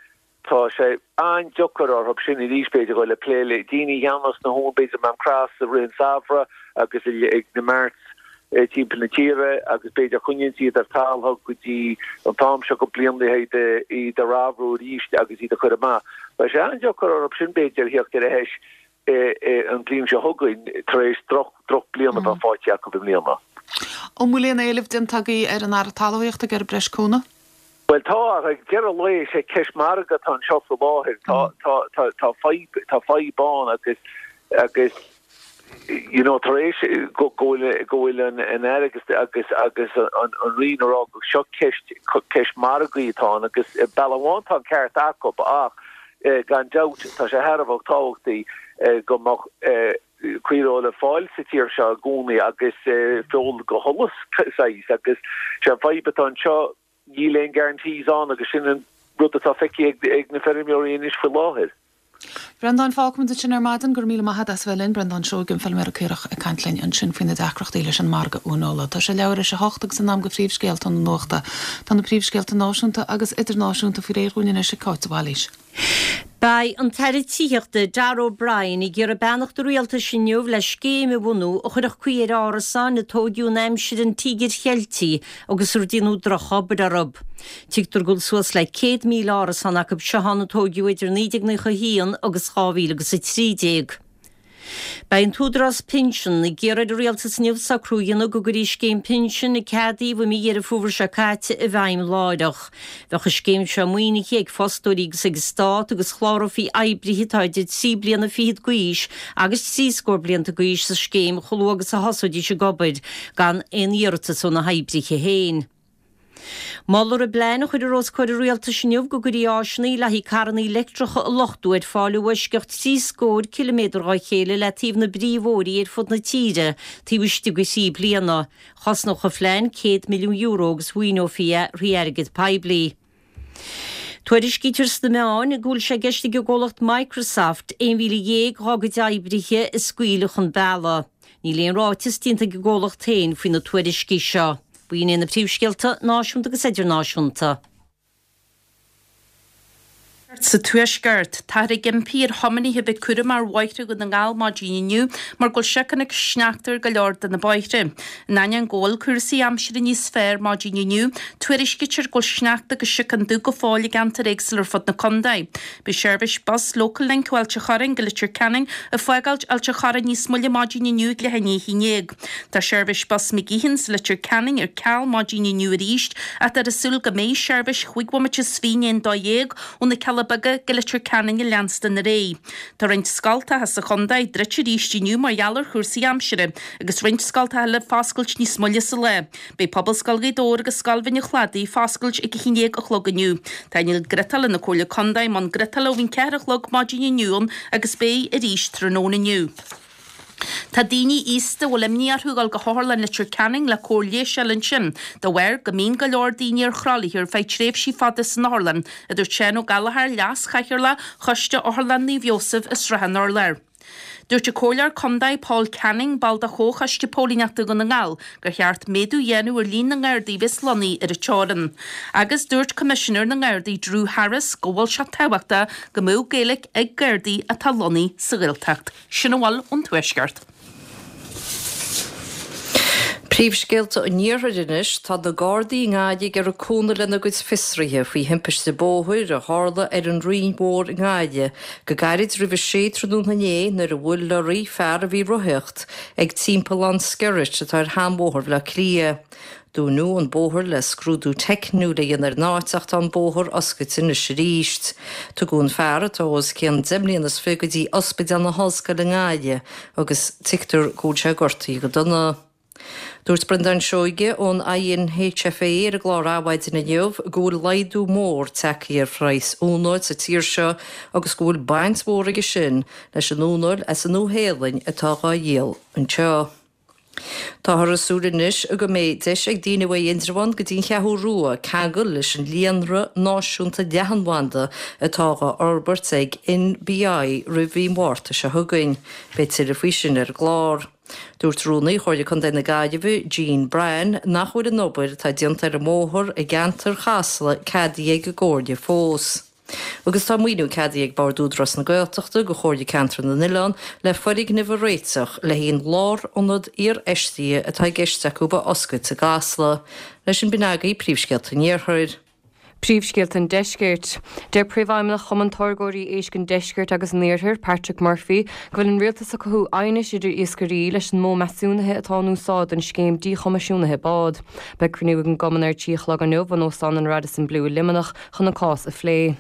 tá sé an-deacair orthu sin arís b'fhéidir dul ag plé le daoine a cheannós na huain b'fhéidir Mam Cross i rith an samhradh agus ag na marts timpeall na tíre agus b'fhéidir coinníonn siad ar talamh go dtí an t-am seo go bliain le iad iad a ramhrú arís agus iad a chur amach. Beidh sé an-deacair orthu sin b'fhéidir theacht ar ais an bhliain seo chugainn tar éis drochbhliain a bheith faighte acu i mbliana. An bhfuil aon éileamh déanta agaibh ar an Aire Talmhaíochta ag iarraidh breis cúnamh? Bhuel tá, ach ag deireadh an lae is é ceist margaidh atá anseo faoi láthair. Tá tá tá tá fadhb tá fadhb ann agus agus you know tar éis go go bhfuil go bhfuil an an Aire agus agus agus an an Roinn ag rá go seo ceist ceist margaidh atá ann agus bealach amháin tá an ceart acu ach gan dabht tá sé thar a bheith tábhachtaí go mbeadh caoirfheoil le fáil sa tír seo i gcónaí agus feoil go sholas saghas agus sé an fadhb atá anseo níl aon guarantees ann agus sin an rud atá feicthe ag na feirmeoirí anois faoi láthair. Breandán, fágfaimid ansin ar maidin, go raibh míle maith agat as bheith linn, Breandán Seoige, an feilméara caorach ag caint linn ansin faoi na deacrachtaí leis an margadh uaineola. Tá sé leathuair tar éis a hocht agus in am do phríomhscéalta na nuachta. Tá na príomhscéalta náisiúnta agus idirnáisiúnta faoi réir dhúinn anois ag Cáit de Bhailís. Beidh an tAire Tithíochta Darragh O'Brien ag iarraidh beannacht an Rialtais inniu le scéim a bhunú a chuirfeadh caoi ar árasáin a tóigeadh in aimsir an Tíogair Cheiltigh agus ar déanadh drochobair orthu. Tuigtear go bhfuil suas le céad míle árasán acu seo ann a tóigeadh idir naoi déag naocha a haon agus dhá mhíle agus a trí déag. Beidh an tÚdarás Pinsean ag iarraidh ar an Rialtas inniu socrú a dhéanamh go gcuirfí scéim pinsin a ceadaíodh i mí Dheireadh Fómhair seo caite i bhfeidhm láithreach. Bheadh an scéim seo maoinithe ag fostóirí agus ag an Stát agus chlárófaí oibrithe atá idir trí bliana fichead d'aois agus trí scór blianta d'aois sa scéim chomh luath agus a thosóidís ag obair, gan aon iarratas ó na hoibrithe féin. Molfar i bplean a chuirfear os comhair an Rialtais inniu go gcuirfí áiseanna le haghaidh carranna leictreacha a luchtú ar fáil i bhfoisceacht trí scór ciliméadar dhá chéile le taobh na bpríomhbhóithrí ar fud na tíre taobh istigh de thrí bliana. Chosnódh an phlean céad milliún euro agus mhaoineofaí é thrí airgead poiblí. Tuairiscítear sna meáin go bhfuil sé i gceist ag an gcomhlacht Microsoft aon mhíle dhéag dhá gcuid oibrithe a scaoileadh chun bealaigh. Níl aon ráiteas déanta ag an gcomhlacht féin faoi na tuairiscí seo. B'in iad na príomhscéalta náisiúnta agus idirnáisiúnta. Sa Tuaisceart, táthar ag impí ar thiománaithe a bheith cúramach ar bhóithre Dhún na nGall maidin inniu mar go bhfuil síocán agus sneachta ar go leor de na bóithre. In ainneoin go bhfuil cúrsaí aimsire níos fearr maidin inniu, tuairiscítear go bhfuil sneachta agus síocán dubh go fóill i gceantair éagsúla ar fud na contae. Beidh seirbhís bus Local Link ó Ailt a' Chorráin go Leitir Ceanainn ag fágáilt Ailt a' Chorráin níos moille maidin inniu ag leath i ndiaidh a haon déag. Tá seirbhís bus McGeehan's Leitir Ceanainn ar ceal maidin inniu arís ach táthar ag súil go mbeidh seirbhís chúig bhomaite is fiche i ndiaidh a dó dhéag ó na Cealla Beaga go Leitir Ceanainn ag leanstan ar aghaidh. Tá roinnt scoltacha sa chontae druidte arís inniu mar gheall ar chúrsaí aimsire agus roinnt scoltacha eile foscailt níos moille sa lá. Beidh Pobalscoil Ghaoth Dobhair agus Scoil Bhinn an Chladaigh foscailt ag a haon déag a chlog inniu. Tá inneall griotála na Comhairle Contae i mbun griotála ó bhí an ceathair a chlog maidin inniu ann agus beidh arís tráthnóna inniu. Tá daoine aosta a bhfuil imní orthu ag dul go hOtharlann Leitir Ceanainn le cóir leighis a fháil ansin, de bharr go mbíonn go leor daoine ar thralaithe ar feadh tréimhsí fada san otharlann, a dúirt Seán Ó Gallchóir, Leas-Chathaoirleach Choiste Otharlann Naomh Iósaf i Srath an Urláir. Dúirt an Comhairleoir Contae Paul Canning, ball de Chomhchoiste Póilíneachta Dhún na nGall, gur cheart méadú a dhéanamh ar líon na nGardaí a bheas lonnaithe ar an teorainn. Agus dúirt Coimisinéir na nGardaí Drew Harris go bhfuil sé tábhachtach go mbeadh Gaeilge ag Gardaí atá lonnaithe sa Ghaeltacht. Sin a bhfuil ón Tuaisceart. Príomhscéalta an Iarthair anois, tá na Gardaí i nGaillimh ag iarraidh cúnamh lena gcuid fiosruithe faoi thimpiste bóthair a tharla ar an Rinn Mhór i nGaillimh go gairid roimh a sé tráthnóna inné nuair a bhuail lorraí fear a bhí ag rothaíocht ag timpeallán Skerritt atá ar sheanbhóthar Bhaile Átha Cliath. Dúnadh an bóthar le scrúdú teicniúil a dhéanamh ar an áit ach tá an bóthar oscailte anois arís. Tugadh an fear, atá os cionn deich mbliana is fiche, go dtí Ospidéal na hOllscoile i nGaillimh agus tuigtear go bhfuil sé gortaithe go dona. Dúirt Breandán Seoige ón INHFA ar an gclár Adhmhaidin inniu go bhfuil laghdú mór tagtha ar phraghas uaineoil sa tír seo agus go bhfuil baint mhór aige sin leis an uaineoil as an Nua-Shéalainn atá dhá dhíol anseo. Táthar ag súil anois go mbeidh deis ag daoine uaidh Indreabhán go dtí an Cheathrú Rua ceangal leis an líonra náisiúnta leathanbhanda atá dhá fhorbairt ag NBI roimh mhí Mhárta seo chugainn. Beidh tuilleadh faoi sin ar an gclár. Dúirt Rúnaí Chomhairle Contae na Gaillimhe, Jean Bryan, nach bhfuil an obair atá déanta ar an mbóthar i gceantar Chasla ceadaithe ag an gComhairle fós. Agus tá maoiniú ceadaithe ag Bord Údarás na Gaeltachta do Chomhairle Ceantar na nOileán le foirgneamh a réiteach le haghaidh an lárionad iarfheistithe atá i gceist acu a oscailt i gCasla. Leis sin b'in agaibh príomhscéalta an Iarthair. Príomhscéalta an Deiscirt. Deir Príomhfheidhmeannach Chumann Táirgeoirí Éisc an Deiscirt agus an Iarthair, Patrick Murphy, go bhfuil an rialtas ag cothú aighnis idir iascairí leis an modh measúnaithe atá in úsáid don scéim díchoimisiúnaithe bád. Beidh cruinniú ag an gcumann ar a trí a chlog inniu in Óstán an Radisson Blu i Luimneach chun an cás a phlé.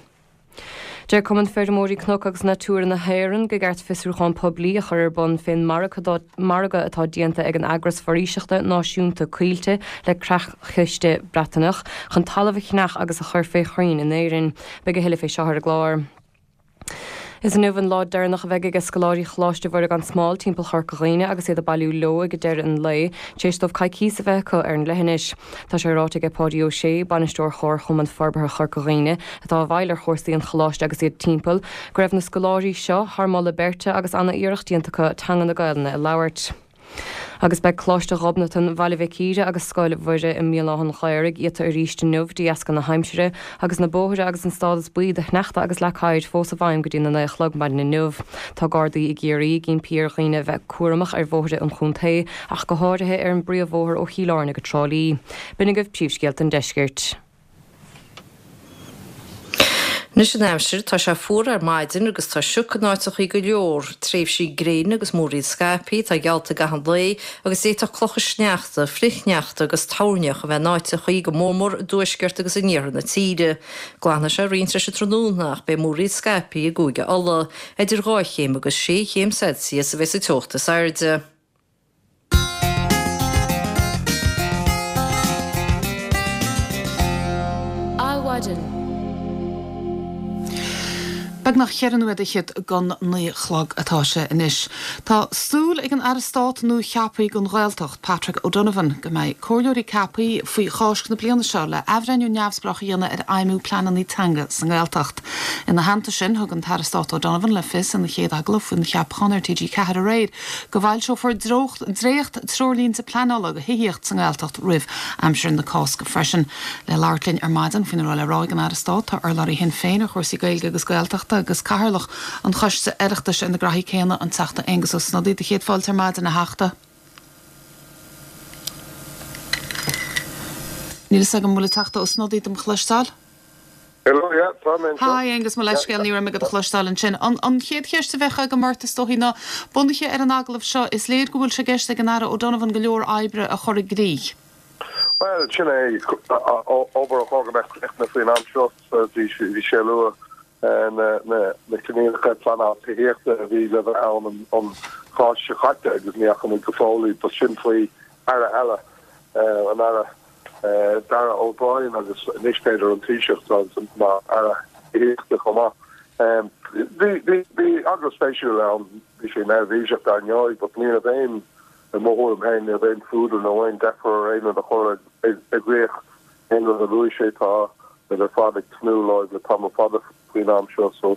Deir Cumann Feirmeoirí Cnoc agus Natura na hÉireann gur ceart fiosrúchán poiblí a chur ar bun fén margadh atá déanta ag an eagras foraoiseachta náisiúnta Coillte le Creach-Chiste Breataineach chun talamh a cheannach agus a chur fé chrainn in Éirinn. Beidh a thuilleadh fé seo ar an gclár. Is inniu an lá deireanach a bheidh ag scoláirí Choláiste Mhuire gan Smál timpeall Chorca Dhuibhne agus iad ag bailiú leo ag deireadh an lae, tar éis dóibh coicíos a bheith acu ar an leithinis. Tá sé ráite ag Páidí Ó Sé, bainisteoir Chomharchumann Forbartha Chorca Dhuibhne, atá i bhfeighil ar chúrsaí an choláiste agus iad timpeall, go raibh na scoláirí seo thar moladh beirte agus ana-iarracht déanta acu teanga na Gaelainne a labhairt. Agus beidh Coláiste Ghobnatan Bhaile Mhic Íre agus Scoil Mhuire i mBéal Átha an Ghaorthaidh iata arís inniu de dheasca na haimsire agus na bóithre agus an stádas buí do shneachta agus leac oighir fós i bhfeidhm go dtí na naoi a chlog maidin inniu. Tá Gardaí i gCiarraí ag impí ar dhaoine a bheith cúramach ar bhóithre an chontae ach go háirithe ar an bpríomhbhóthar ó Chill Airne go Trá Lí. B'in agaibh príomhscéalta an deiscirt. Anois an aimsir, tá sé fuar ar maidin agus tá sioc in áiteachaí go leor, tréimhsí gréine agus múraíl scaipthe atá geallta i gcaitheamh an lae agus d'fhéadfadh clocha sneachta, frithshneachta agus toirneach a bheith in áiteachaí, go mórmór i dtuaisceart agus in iarthar na tíre. Glanfaidh sé roinnt leis an tráthnóna ach beidh múraíl scaipthe i gCúige Uladh. Idir dhá chéim agus sé chéim Celsius a bheidh sa teocht is airde. Adhmhaidin. Beagnach cheithre nóiméad fhichead don naoi a chlog atá sé anois. Tá súil ag an Aire Stáit nua-cheaptha don Ghaeltacht, Patrick O'Donovan, go mbeidh comhairleoirí ceaptha faoi Cháisc na bliana seo le athbhreithniú neamhspleách a dhéanamh ar fheidhmiú pleananna teanga sa nGaeltacht. Ina theannta sin, thug an tAire Stáit O'Donovan le fios ina chéad agallamh faoina cheapachán ar T G ceathair aréir go bhfoilseofar dréacht treoirlínte pleanála do thithíocht sa nGaeltacht roimh aimsir na Cásca freisin. Le labhairt linn ar maidin faoina raibh le rá ag an Aire Stáit tá urlabhraí Shinn Féin ar chúrsaí Gaeilge agus Gaeltachta agus Cathaoirleach an Choiste Oireachtais ar na graithí céanna, an Teachta Aengus Ó Snodaigh. Do chéad fáilte ar maidin, a Theachta. Níl fhios agam an bhfuil an Teachta Ó Snodaigh dom chloisteáil. Hello, yeah, tá mé anseo. Hi Aengus, mo leithscéal, ní raibh mé do chloisteáil ansin. An, an chéad cheist a bheadh agam ort is dóichí ná, bunaithe ar an agallamh seo, is léir go bhfuil sé i gceist ag an Aire O'Donovan go leor oibre a chur i gcrích. Bhuel, sin é, obair a chóir go mbeadh críochnaithe faoin am seo. Bhí sé ag lua na coinníollacha pleanála tithíochta a bhí le bheith ann an Cháisc seo caite agus ní fhaca muid go fóill iad. But sin faoi Aire eile, an Aire Darragh O'Brien agus anois b'fhéidir an Taoiseach mar Aire Tithíochta chomh maith. Bhí agallamh spéisiúil ann, bhí sé neirbhíseach dar ndóigh, but ní raibh aon I mo thuairim féin, ní raibh aon fuadar nó aon deifir ar aon rud a chur i gcrích. Aon rud a luaigh sé, tá muid ar fad ag tnúth leo le tamall fada faoin am seo so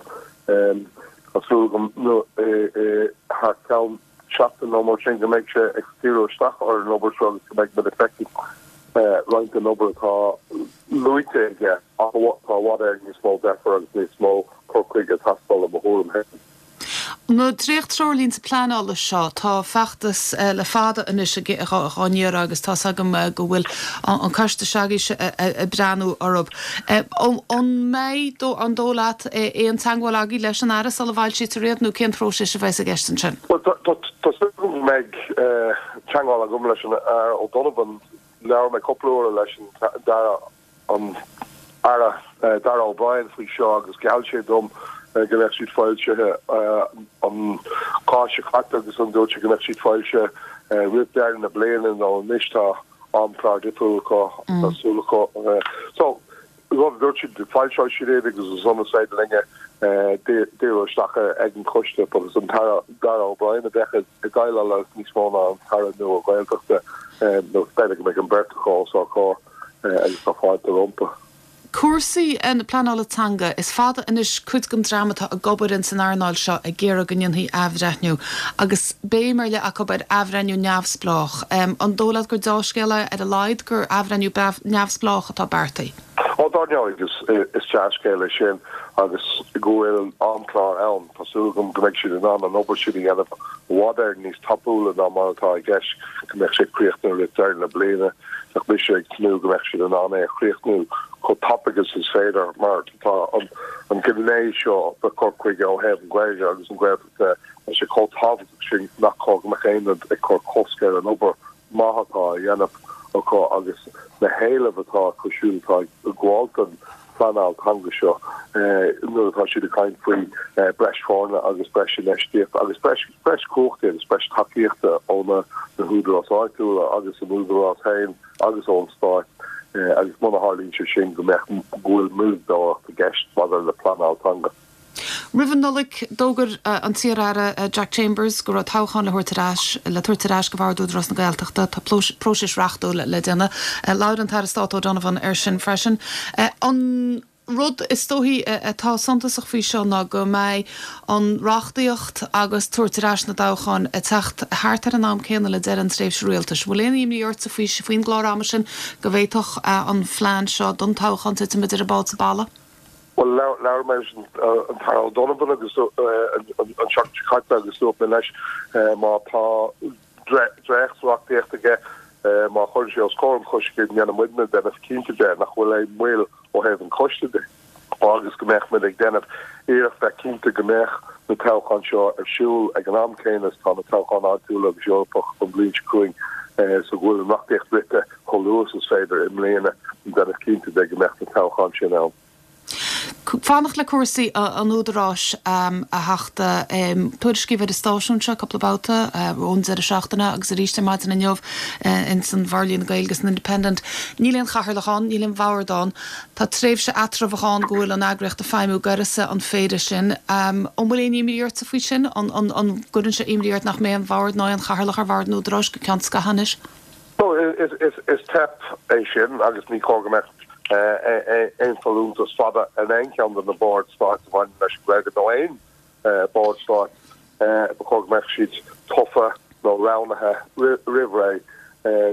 tá súil agam thar ceann seachtain nó mar sin go mbeidh sé ag díriú isteach ar an obair seo agus go mbeidh muid ag feiceáil roinnt den obair atá luaite aige ach tá i bhfad Éireann níos mó deifir agus níos mó cur chuige ag teastáil i mo thuairim féin. Na dréacht-treoirlínte pleanála seo, tá feachtas le fada anois dhá n-iarraidh agus tá's agam go bhfuil an coiste s'agaibhse ag breathnú orthu. An mbeidh, an dóigh leat, aon teagmháil agaibh leis an Aire sula bhfoilsítear iad nó cén próiseas a bheas i gceist ansin? Bhuel, tá súil agam go mbeidh teagmháil agam leis an Aire O'Donovan. Labhair mé cúpla uair leis an Aire an Aire Darragh O'Brien faoi seo agus gheall sé dom go mbeadh siad foilsithe an Cháisc seo caite agus an dúirt sé go mbeadh siad foilsithe roimh deireadh na bliana nó anois tá amchlár difriúil acu tá súil acu so rud a dúirt siad foilseoidh siad iad agus ansan is féidir linne díriú isteach ag an choiste agus an tAire Darragh O'Brien a bheadh ag déileáil leis níos mó ná an tAire nua Gaeltachta nó b'fhéidir go mbeidh an bheirt acu os ár gcomhair. agus tá fáilte rompu. Cúrsaí na pleanála teanga, is fada anois cuid den dream atá ag obair ins an earnáil seo ag iarraidh go ndéanfaí athbhreithniú, agus béim ar leith acu ar athbhreithniú neamhspleách. An dóigh leat gur deá-scéal é ar a laghad gur athbhreithniú neamhspleách atá beartaithe? Ó, dar ndóigh, is dea-scéal é sin agus go bhfuil amchlár ann. Tá súil agam go mbeidh siad in ann an obair sin a dhéanamh i bhfad Éireann níos tapúla ná mar atá i gceist, go mbeadh sé críochnaithe roimh deireadh na bliana. Bheadh mise ag tnúth go mbeadh siad in ann é a chríochnú chomh tapaidh agus is féidir mar tá an an gné seo de cur chuige ó thaobh an Ghaeilge agus an Ghaeltacht de tá sé chomh tábhachtach sin nach cóir go mbeadh aon rud ag cur cosc ar an obair maith atá á dhéanamh acu agus na héilimh atá acu siúd atá ag gabháil don phleanáil teanga seo nuair atá siad ag caint faoi breis foirne agus breis infheistíochta agus breis breis cumhachtaí agus breis tacaíochta ó na na húdaráis áitiúla agus an údarás féin agus ón stát agus muna tharlaíonn sé sin go mbeadh go bhfuil moilleadóireacht i gceist maidir le pleanáil teanga. Roimh an Nollaig, d'fhógair an t-iar-aire Jack Chambers go raibh toghchán le thabhairt ar ais le tabhairt ar ais go Bhord Údarás na Gaeltachta. Tá próiseas reachtúil le déanamh. Labhair an tAire Stáit O'Donovan air sin freisin. An rud is dóichí atá suntasach faoi seo ná go mbeidh an reachtaíocht agus tabhairt ar ais na dtoghchán ag teacht thart ar an am céanna le deireadh an tréimhse rialtais. Bhfuil aon imní ortsa faoi faoin gclár ama sin go bhféadfadh an phlean seo don toghchán titim idir an bád is an balla? Bhuel, labhair mé leis an tAire O'Donovan agus an tseachtain seo caite agus dúirt mé leis má tá dréacht-reachtaíocht aige, má chuireann sé os comhair an choiste go ndéanfaidh muidne déanamh cinnte de nach bhfuil aon mhoill ó thaobh an choiste de agus go mbeadh muid ag déanamh iarracht bheith cinnte go mbeadh na toghcháin seo ar siúl ag an am céanna is tá na toghcháin áitiúla agus Eorpach don bhliain seo chugainn so go bhfuil an reachtaíocht rite chomh luath is is féidir i mbliana déanamh cinnte de go mbeadh na toghcháin sin ann. Fanacht le cúrsaí an Údaráis a Theachta. Tuairiscíodh ar an stáisiún seo cúpla babhta ón deireadh seachtaine agus arís ar maidin inniu ins an Bhorlíonadh Gaeilge san Independent. Níl aon chathaoirleach ann, níl aon bhord ann. Tá tréimhse eatramhach ann go bhfuil an eagraíocht ag feidhmiú d'uireasa an phéire sin. An bhfuil aon imní ortsa faoi sin? An gcuireann sé imní ort nach mbeidh aon bhord ná aon chathaoirleach ar bhord an Údaráis go ceann scaithimh anois? Is teip é sin agus ní cóir go mbeadh aon folúntas fada ar aon cheann de na boird stáit a bhaineann leis an Ghaeilge nó aon bhord stáit. Ba chóir go mbeadh siad tofa nó roghnaithe roimh ré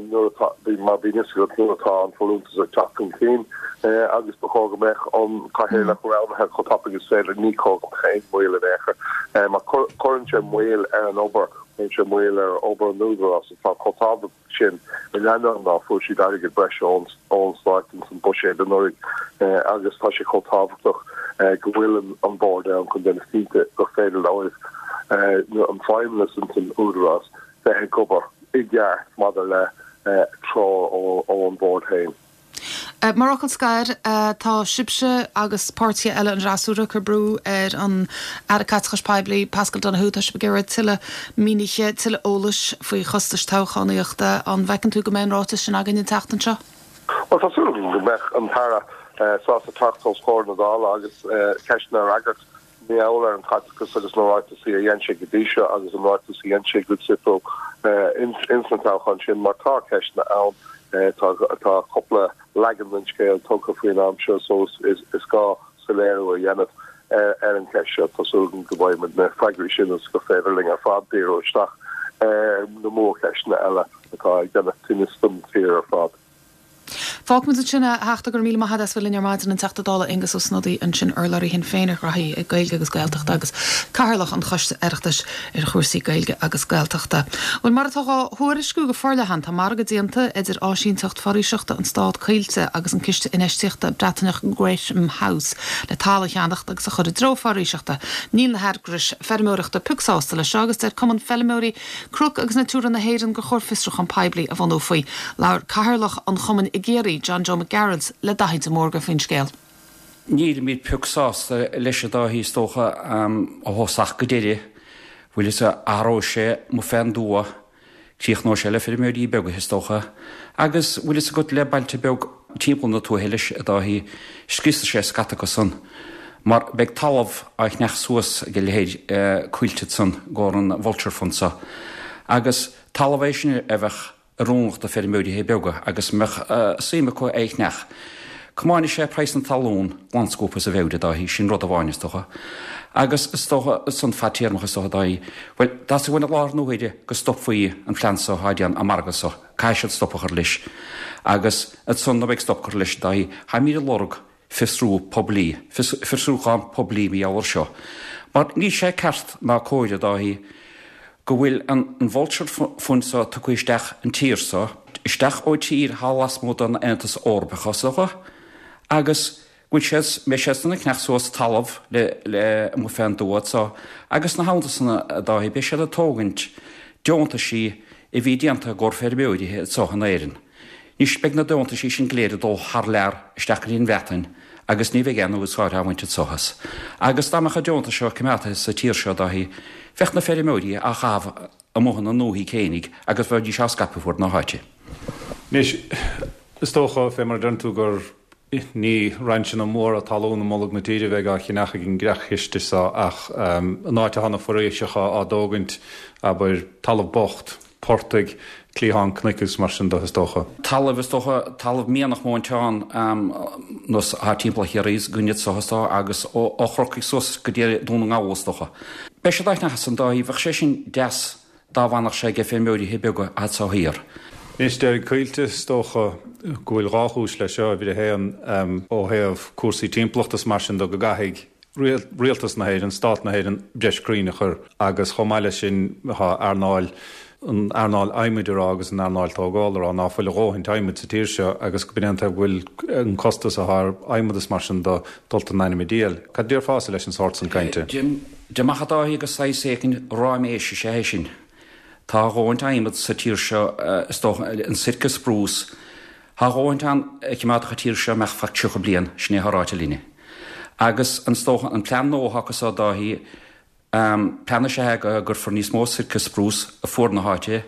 nuair atá, mar bíonn fhios agat nuair atá an folúntas ag teacht chun cinn agus ba chóir go mbeadh an cathaoirleach roghnaithe chomh tapaidh is féidir. Ní cóir go mbeadh aon mhoill in aon chor mar cuireann sé moill ar an obair, cuireann sé moill ar obair an Údaráis atá chomh tábhachtach sin in ainneoin ná fuair siad airgead breise ón Stát ins an buiséad anuraidh agus tá sé chomh tábhachtach go bhfuil an bord ann chun déanamh cinnte gur féidir leo an feidhmeannas ins an Údarás bheith ag obair i gceart maidir le treoir ón bhord féin. Mar fhocal scoir, tá sibhse agus páirtithe eile an fhreasúra ag cur brú ar an Aire Caiteachais Poiblí, Paschal Donohoe. Tá sibh ag iarraidh tuilleadh mínithe, tuilleadh eolais faoi chostais toghchánaíochta. An bhfeiceann tú go mbeidh an ráiteas sin againn an tseachtain seo? Bhuel, tá súil agam go mbeidh an tAire sásta teacht os comhair na Dála agus ceisteanna a fhreagairt. Mar gheall ar an chaiteachas agus na ráiteasaí a dhein sé go dtí seo agus an ráiteas a dhein sé go dtiocfadh ins na toghcháin sin mar tá ceisteanna ann, tá cúpla leagan den scéal tugtha faoin am seo so is gá soiléiriú a dhéanamh ar an cheist seo. Tá súil agam go bhfaighidh muid na freagraí sin agus gur féidir linn ar fad díriú isteach ar na mórcheisteanna eile atá ag déanamh tinnis don tír ar fad. Fágfaimid ansin é, a Theachta, go raibh míle maith agat as bheith linn ar maidin, an Teachta Dála Aengus Ó Snodaigh ansin, urlabhraí Shinn Féin ar ghraithí Gaeilge agus Gaeltachta agus Cathaoirleach an Choiste Oireachtais ar chúrsaí Gaeilge agus Gaeltachta. Bhuel, mar atá dhá thuairisciú go forleathan, tá margadh déanta idir áisínteacht foraoiseachta an Stát Coillte agus an ciste infheistíochta Breataineach Greatham House le talamh a cheannacht agus a chur i dtreo foraoiseachta. Níl na heagrais feirmeoireachta pioc sásta leis seo agus deir Cumann Feilmeoirí Cnoc agus Natura na hÉireann gur chóir fiosrúchán poiblí a bhunú faoi. Labhair Cathaoirleach an chumainn i gCiarraí, John Joe Mac Gearailt, le Daithí de Mórdha faoin scéal. Nílimid pioc sásta leis a Dháithí is dócha ó thosach go deireadh. Bhfuil fhios a'd, athróidh sé mo féin dua, críochnóidh sé le feirmeoirí beaga is dócha. Agus bhfuil fhios agat le bailte beag timpeall na tuaithe leis a Dháithí, scriosfaidh sé scata acu san. Mar beidh talamh á cheannach suas ag a leithéid Coillte san i gcomhair an Vulture Fund so. Agus talamh é sin a bheadh oiriúnach do feirmeoirithe beaga agus a mbeadh suim acu é a cheannach. Comáinfidh sé praghas na talún glan-scuabtha as a mheabhair, a Dháithí, sin rud amháin is dócha. Agus is dócha san fadtéarmach is dócha, a Dháithí, bhuel, dá uain i láthair na huaire go stopfaí an plean so atá déanta, an margadh so, caithfidh siad stop a chur leis. Agus ansan nuair a beidh stop curtha leis, a Dháithí, táimid ag lorg fiosrú poiblí, fiosrúchán poiblí mar gheall air seo. Mar níl sé ceart ná cóir, a Dháithí, go bhfuil an Vulture Fund so tugtha isteach an tír so, isteach ó tír thall lasmuigh den Aontas Eorpach is dócha, Agus go bhfuil siad, mbeidh siad san ag ceannach suas talamh le, le amuigh fén dtuath anso agus ina theannta san a Dáithí, beidh siad ag tógaint deontaisí a bhí déanta i gcomhair feirmeoirithe anso in Éirinn. Anois beidh na deontaisí sin go léir ag dul thar lear isteach go dtí an Bhreatain agus ní bheidh aon úsáid á bhaint anso as. Agus dá mbeadh an deontas seo coimeádtaithe sa tír seo a Dáithí, bheadh na feirmeoirí á chaitheamh amuigh ina ndúthaigh fhéinig agus bheidís á scaipeadh fuaid na háite. Anois, is dócha, fé mar a deireann tú, gur ní rainseanna móra talún i mbolg na tíre a bheidh á cheannach ag an gcreach-chiste so ach an áit atá na foraoiseacha á dtógaint, abair, talamh bocht, portaigh, cliatháin cnoic agus mar sin de, is dócha. Talamh, is dócha, talamh mianach móinteán nós atá timpeall Chiarraí againne anso is dócha agus ó Chorcaigh suas go dtí Dún na nGall, is dócha. Beidh siad á cheannach ansan a Dháithí, bheadh sé sin deas dá bhfanfadh sé ag feirmeoirithe beaga anso thiar. Anois, deir Coillte, is dócha go bhfuil dhá chúis leis seo, uimhir a haon, ó thaobh cúrsaí timpeallachta is mar sin de, go gcaithfidh Rialtas na hÉireann, Stát na hÉireann, breis crainn a chur agus chomh maith leis sin tá earnáil, an earnáil adhmaid a rá agus an earnáil tógála a rá ná fuil a dhóthaint adhmaid sa tír seo agus go b'in é an taobh go bhfuil an costas atá ar adhmad is mar sin de dulta in ainm an diabhail. Cad a déarfása leis an sórt san cainte? Deirim amach a Dháithí gur saghas éicint ráiméis is ea é sin. Tá a dhóthaint adhmad sa tír seo, is dócha, an Sitka spruce. Tá a dhóthaint ann a choimeádfadh an tír seo amach feadh tríocha bliain, sin é atá ráite linne. Agus is dócha, an plean nua atá acu so a Dháithí, plean is ea é go gcuirfear níos mó Sitka spruce fuaid na háite.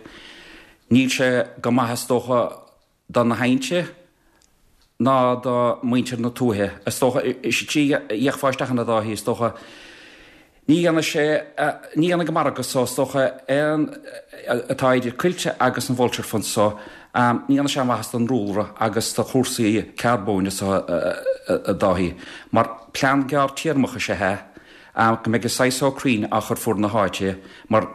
Níl sé go maith is dócha do na haillte ná do mhuintir na tuaithe. Is dócha, is é trí a fhéachfá isteach ann a Dháithí, is dócha, ní dhéanfaidh sé, ní dhéanfaidh an margadh so, is dócha, aon, atá idir Coillte agus an Vulture Fund so, ní dhéanfaidh sé aon mhaitheas don ndúlra agus do chúrsaí carbóin so, a Dháithí, mar plean gearrtéarmach is ea é, go mbeidh an saghas so crainn á chur fuaid na háite, mar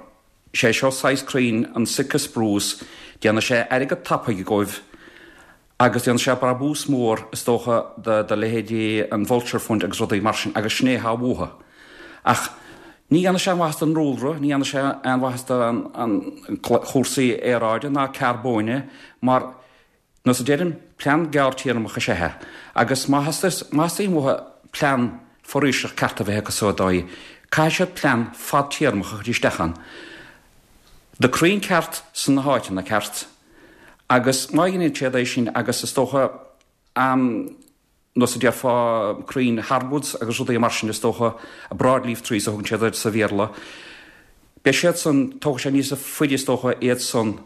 sé seo saghas crainn, an Sitka spruce, déanfaidh sé airgead tapaidh dhóibh, Agus déanfaidh sé brabús mór, is dócha, do leithéidí an Vulture Fund agus rudaí mar sin, agus sin é atá uathu. Ach ní dhéanfaidh sé aon mhaitheas don ndúlra, ní dhéanfaidh sé aon mhaitheas do chúrsaí aeráide ná carbóine, mar, nós a deirim, plean gearrtéarmach is ea é. Agus má theastaíonn uathu plean foraoiseach ceart a bheith acu so a Dháithí, caithfidh siad plean fadtéarmach a chur isteach ann. Do crainn ceart sna háiteanna ceart. Agus má dheineann siad é sin, agus is dócha, nós a déarfá, crainn hardwoods agus rudaí mar sin, is dócha, broadleaf trees a thugann siad air sa Bhéarla, beidh siad san, tógfaidh sé níos faide is dócha iad san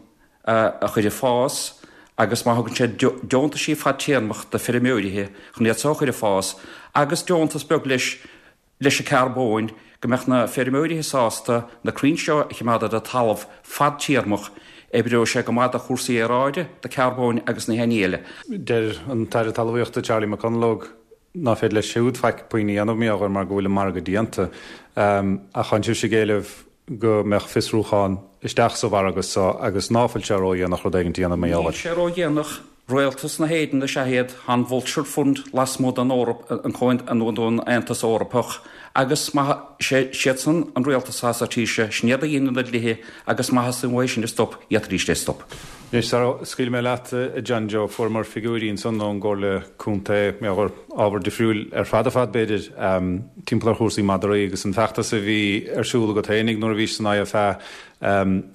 a chur ag fás agus má thugann siad deontaisí fadtéarmach do feirmeoirithe chun iad so a chur ag fás agus deontas beag leis, leis an carbóin, go mbeadh na feirmeoirithe sásta na crainn seo a choimeád ar an talamh fadtéarmach, oibreoidh sé go maith do chúrsaí aeráide, do carbóin agus na haon ní eile. Deir an tAire Talmhaíochta Charlie McConalogue ná féidir leis siúd faic puinn a dhéanamh mar gheall mar go bhfuil an margadh déanta. Ach tánn sibhse ag éileamh go mbeadh fiosrúchán isteach sa mhargadh so agus ná fuil sé ródhéanach rud éigint a dhéanamh mar gheall air. Níl sé ródhéanach. Rialtas na hÉireann is ea iad, tá an Vulture Fund lasmuigh den Eoraip, an Comhaon, den Aontas Eorpach, agus má, sé, siadsan an rialtas atá sa tír seo, sin iad a dhéanann na dlíthe agus má theastaíonn uathu sin a stop, d'fhéadfaidís é a stop. Anois, sara scaoilfidh mé leat, a John Joe, fuaireamar figiúirí ansan ón gComhairle Contae, mar gheall ar ábhar difriúil ar fad ar fad, b'fhéidir, timpeall ar chúrsaí madraí agus an feachtas a bhí ar siúl agat fhéinig nuair a bhís san IFA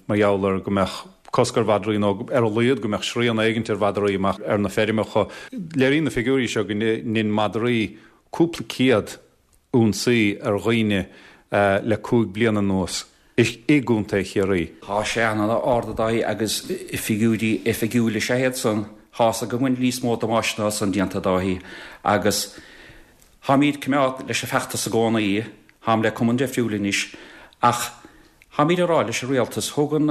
mar gheall ar go mbeadh cosc ar mhadraí nó ar a laghad go mbeadh srian éigint ar mhadraí amach ar na feirmeacha. Léiríonn na figiúirí seo go ndein madraí cúpla céad ionsaí ar dhaoine le cúig bliana anuas i gContae Chiarraí. Tá sé an-ard a Dháithí agus figiúirí oifigiúil is ea iad san. Tá's agam go bhfuil níos mó damáiste ná san déanta a Dháithí agus táimíd coimeád leis an feachtas i gcónaí, táim le cumann deifriúil anois ach Táimid ag rá leis an Rialtas, thug an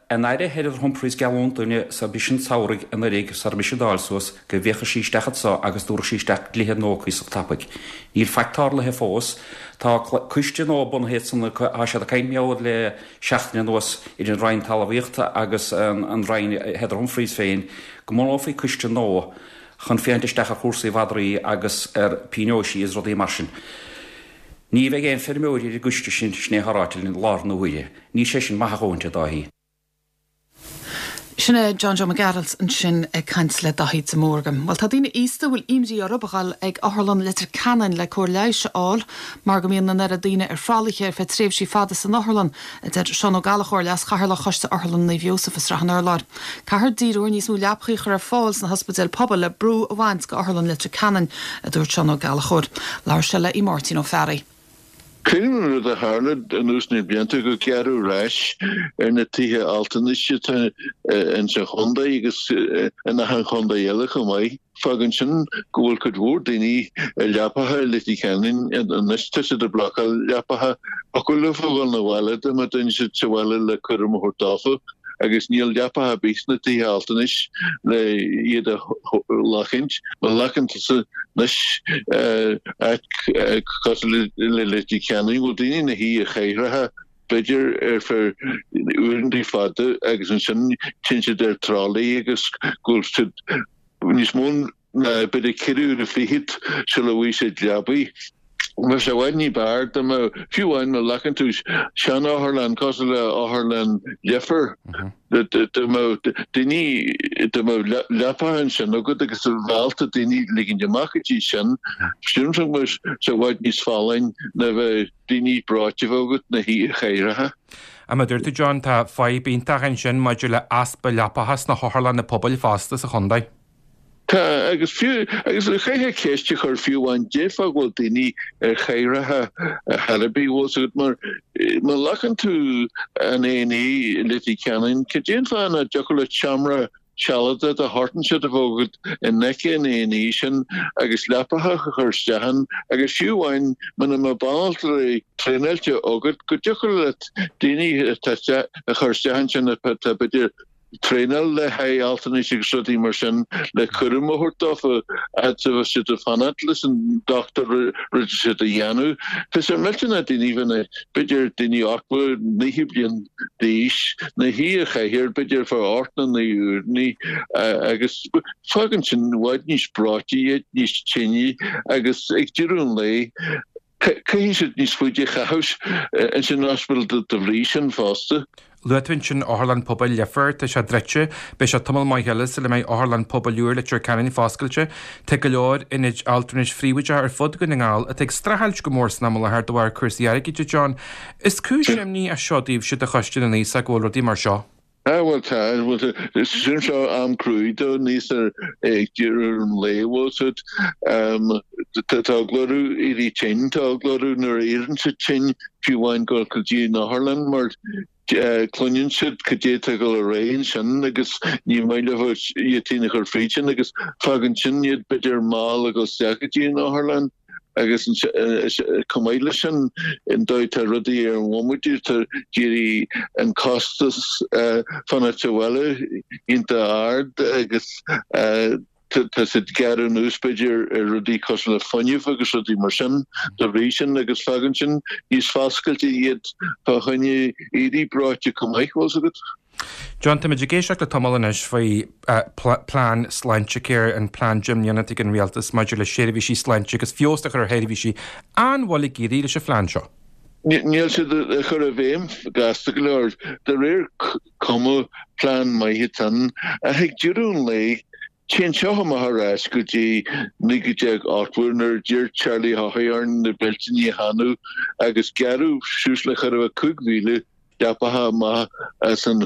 an Aire Heather Humphreys geallúint dúinne sa b'shin samhraidh anuraidh sara raibh mise ag Dáil suas go bhféachadh sí isteach anso agus dtabharfadh sí isteach dlíthe nua cuíosach tapaidh. Níl faic tarlaithe fós. Tá coiste nua bunaithe ansan acu, tá siad ag caint mar gheall le seachtain anuas idir an Roinn Talmhaíochta agus an Roinn Heather Humphreys féin go mbunófaí coiste nua chun féachaint isteach ar chúrsaí mhadraí agus ar pionóisí is rudaí mar sin. Ní bheidh aon feirmeoirí ar an gcoiste sin, sin é atá ráite linn i láthair na huaire. Níl sé sin maith a dhóthaint, a Dháithí. Sin é John Joe Mac Gearailt ansin ag caint le Daithí de Mórdha. Well tá daoine aosta a bhfuil imní orthu a dhul ag Otharlann Leitir Ceanainn le cóir leighis a fháil mar go mbíonn an oiread daoine ar thralaithe ar feadh tréimhsí fada san otharlann, a deir Seán Ó Gallchóir, Leas-Chathaoirleach Choiste Otharlann Naomh Iósaf i Srath an Urláir. Caithfear díriú ar níos mó leapacha a chur ar fáil sna hospidéil pobail le brú a bhaint go Otharlann Leitir Ceanainn, a dúirt Seán Ó Gallchóir. Labhair sé le Máirtín Ó Fearraigh. Cuimhním an rud a tharla anuas na blianta go gearradh ar ais ar na tithe altranais atá insa chontae agus in achan chontae eile chomh maith. Fágann sin go bhfuil cuid mhór daoine ar leapacha i Leitir Ceanainn anois, tá siad ag blocáil leapacha thiocfadh leo a dhul 'na bhaile dá mbeadh duine sa bhaile le cúram a thabhairt dófa agus níl leapacha ar bith sna tithe altranais le iad a ghlacaint. Má ghlacann tusa anois áit cosúil le Leitir Ceanainn, bhfuil daoine ina shuí ar chathaoireacha b'fhéidir ar feadh uaireanta fada agus ansin téann siad ar tralaí agus go bhfuil siad níos mó ná b'fhéidir ceithre uaire fichead sula bhfaighidh siad leabaidh. Bheadh sé i bhfad ní b'fhearr dá mbeadh, fiú amháin má ghlacann tú sean-otharlann cosúil le Otharlann Leifear, dá mbeadh daoine, dá mbeadh leapacha ansin agat agus a bheith ábalta daoine ligint amach go dtí sin, sílim go mbeadh sé i bhfad níos folláine ná bheith daoine breoite a bheith agat ina shuí ar chathaoireacha. Mar a dúirt tú John, tá fadhb iontach ansin maidir le easpa leapacha sna hotharlanna pobail fosta sa chontae. Tá, agus fiú, agus chaithfeá ceist a chur fiú amháin, cén fáth go bhfuil daoine ar chathaoireacha ar chor ar bith, bhfuil 's agat, mar má ghlacann tú an A and E i Leitir Ceanainn, cad é an fáth nach dtiocfadh leat seomra sealadach de shórt inteacht a bheith agat in aice an A and E sin agus leapacha a chur isteach ann agus fiú amháin muna mbeadh banaltraí traenáilte agat go dtiocfadh leat daoine atá a chur isteach ansin atá b'fhéidir traenáil le haghaidh altranais agus rudaí mar sin le cúram a thabhairt dófa fhad is a bheas siad ag fanacht leis an dochtúir rud atá siad a dhéanamh. Tá sé millteanach daoine bheith b'fhéidir daoine ochtó naocha bliain d'aois ina shuí ar chathaoir b'fhéidir ar feadh ocht nó naoi uaireanna agus fágann sin i bhfad níos breoite iad, níos tinne agus ag deireadh an lae Caithfidh siad níos faide a chaitheamh ins an ospidéal de bhrí sin fosta. Luaigh tú ansin Otharlann Pobail Leifear, tá sé druidte, beidh sé tamall maith eile sula mbeidh Otharlann Pobail úr Leitir Ceanainn foscailte. Tá go leor ionaid altranais phríobháideacha ar fud Dhún na nGall atá ag streachailt go mór san am i láthair de bharr cúrsaí airgid, a John. Is cúis imní é seo daoibhse do Choiste na nAosach go bhfuil rudaí mar seo. Ah bhuel tá, bhuel tá, sin seo am cruaidh do níos ar ag deireadh an lae bhfuil siad, tá eagla orthu éirí tinn, tá eagla orthu nuair a éiríonn siad tinn fiú amháin dul go dtí an otharlann mar cluineann siad cad é atá ag dul ar aghaidh ansin agus ní maith leo iad féin a chur fríd sin agus fágann sin iad b'fhéidir mall ag dul isteach go dtí an otharlann. Agus chomh maith leis sin, an dóigh atá rudaí ar an bhomaite, tá d'éirigh an costas fanacht sa bhaile iontach ard agus tá siad ag gearradh anuas b'fhéidir ar rudaí cosúil le fuinneamh agus rudaí mar sin dá bhrí sin agus fágann sin níos foscailte iad fá choinne éirí breoite chomh maith, bhfuil 's agat. John, táimid ag éisteacht le tamall anois faoi plean Sláintecare, an plean deich mbliana atá ag an Rialtas maidir le seirbhísí sláinte agus feabhas a chur ar sheirbhísí. An bhfuil ag éirí leis an phlean seo? Níl siad á chur i bhfeidhm gasta go leor. De réir cuma, plean maith atá ann, ach ag deireadh an lae, téann seo amach ar ais go dtí naoi déag ochtó nuair a d'iarr Charlie Haughey orainn na beilteanna a theannadh agus gearradh suas le chóir a bheith cúig mhíle leapacha amach as an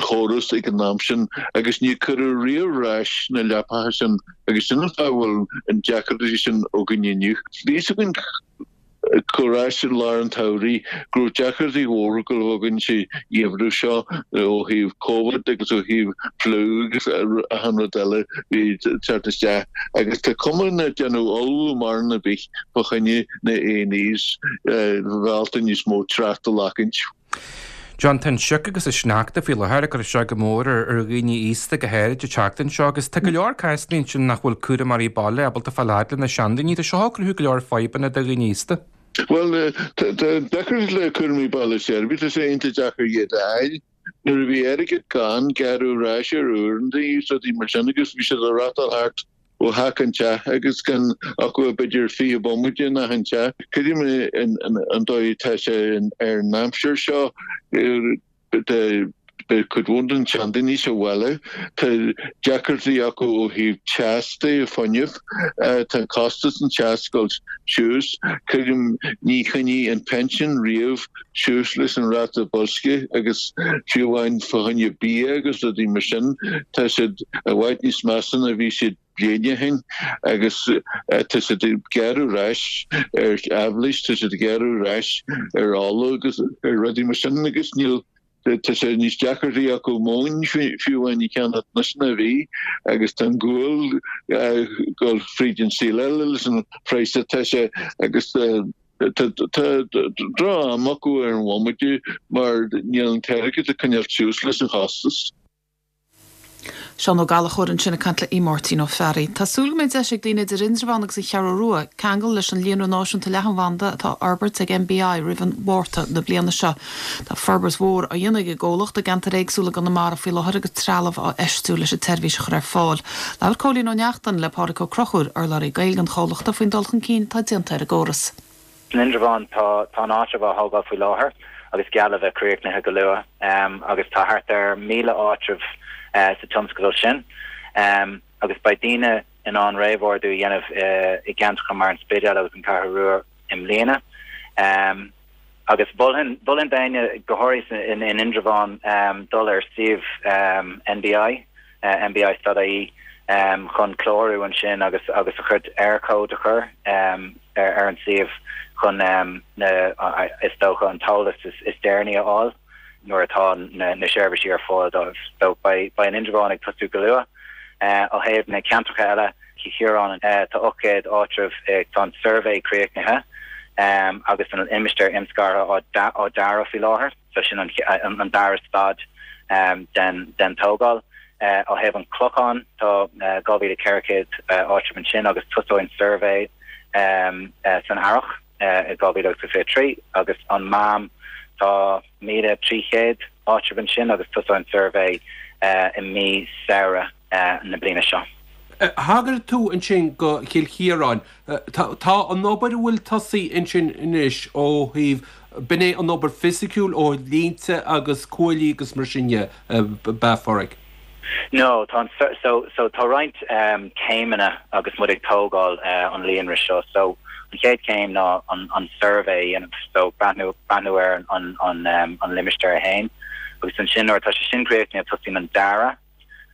chóras ag an am sin agus níor cuireadh riamh ar ais na leapacha sin agus sin an fáth a bhfuil an deacrachtaí sin againn inniu. Bhí fhios againn ar ais i lár an tsamhraidh go raibh deacrachtaí mhóra ag dul againn sa gheimhreadh seo ó thaobh Covid agus ó thaobh fliú agus achan rud eile a bhí ag teacht isteach agus tá cuma nach ndearnadh ullmhú mórán ar bith fá choinne na A and Es bheith ábalta níos mó trácht a ghlacaint. John, tá an sioc agus an sneachta faoi láthair ag cur isteach go mór ar dhaoine aosta go háirid an tseachtain seo agus tá go leor cásanna ansin nach bhfuil cúramóirí baile ábalta fáil fhad le na seandaoine. Tá seo ag cruthú go leor fadhbanna do dhaoine aosta. Bhuel, tá deacracht le cúramóirí baile seirbhís, tá sé iontach deacair iad a fháil. Nuair a bhí airgead gann, gearradh ar ais ar uaireanta is rudaí mar sin agus bhí siad ag reáchtáil thart ó theach go teach agus gan acu ach b'fhéidir fiche bomaite in achan teach. Creidim an dóigh atá sé ar an aimsir seo, tá Beidh cuid mhór den tseandaoine sa bhaile. Tá deacrachtaí acu ó thaobh teas de, fuinneamh. Tá costas an teas ag dul suas. Creidim ní choinnigh an pension riamh suas leis an ráta boilscithe agus fiú amháin fá choinne bia agus rudaí mar sin, tá siad i bhfad níos measa ná bhí siad bliain ó shin agus tá siad ag gearradh ar ais ar aibhléis, tá siad ag gearradh ar ais ar ola agus ar rudaí mar sin agus níl, tá sé níos deacraí acu móin fiú amháin a cheannacht anois ná a bhí agus tá an gual ag dul fríd an saol eile leis an phraghas atá sé agus tá droch-am acu ar an bhomaite mar níl an t-airgead ag coinneáil suas leis an chostas. Seán Ó Gallchóir ansin ag caint le Máirtín Ó Fearraigh. Tá súil go mbeidh deis ag daoine idir Indreabhán agus an Cheathrú Rua ceangal leis an líonra náisiúnta leathanbhanda atá á fhorbairt ag NBI roimh an Mhárta na bliana seo. Tá forbairt mhór á dhéanamh ag an gcomhlacht i gceantair éagsúla i gConamara faoi láthair agus trealamh á fheistiú leis an tseirbhís a chur ar fáil. Labhair Cóilín Ó Neachtain le Pádraig Ó Conchúir, urlabhraí Gaeilge an chomhlachta faoin dul chun cinn atá déanta ar an gcóras. San Indreabhán tá tá an áitreabh á thógáil faoi láthair agus geall le bheith críochnaithe go luath agus tá thart ar míle áitreabh sa tionscadal sin agus beidh daoine in ann réamhordú a dhéanamh i gceantracha mar an Spidéal agus an Cheathrú Rua i mbliana. Agus mholfainn mholfainn d'éinne, go háirithe in Indreabhán, dul ar suíomh NBI, nbi.ie, chun clárú ansin agus agus a chuid Eircode a chur ar an suíomh chun na is dócha an t-eolas is deireanaí a fháil nuair atá na seirbhísí ar fáil dóibh. So beidh beidh an Indreabhán ag tosú go luath. Ó thaobh na ceantracha eile, Cill Chiaráin, tá ocht gcéad áitreabh, tá an suirbhé críochnaithe agus an limistéar imscartha á dearadh faoi láthair. So sin an dara staid den tógáil. Ó thaobh an Chlocháin, tá dhá mhíle ceithre chéad áitreabh ansin agus tosóidh an suirbhé san earrach i dhá mhíle agus a fiche trí agus an Mám, tá míle trí chéad áitreabh ansin agus tosóidh an suirbhé i mí Samhradh na bliana seo. Thagair tú ansin go Cill Chiaráin. Tá an obair a bhfuil tosaithe ansin anois ó thaobh, b'in é an obair fisiciúil ó thaobh línte agus cuaillí agus mar sin de, ab ea, a Phádraig? No, tá an, so, so tá roinnt céimeanna agus muid ag tógáil an líonra seo. So an chéad chéim ná an, an suirbhé a dhéanamh, so breathnú, breathnú ar an, an, an limistéar é féin. Agus ansin nuair atá sé sin críochnaithe tosaíonn an dearadh.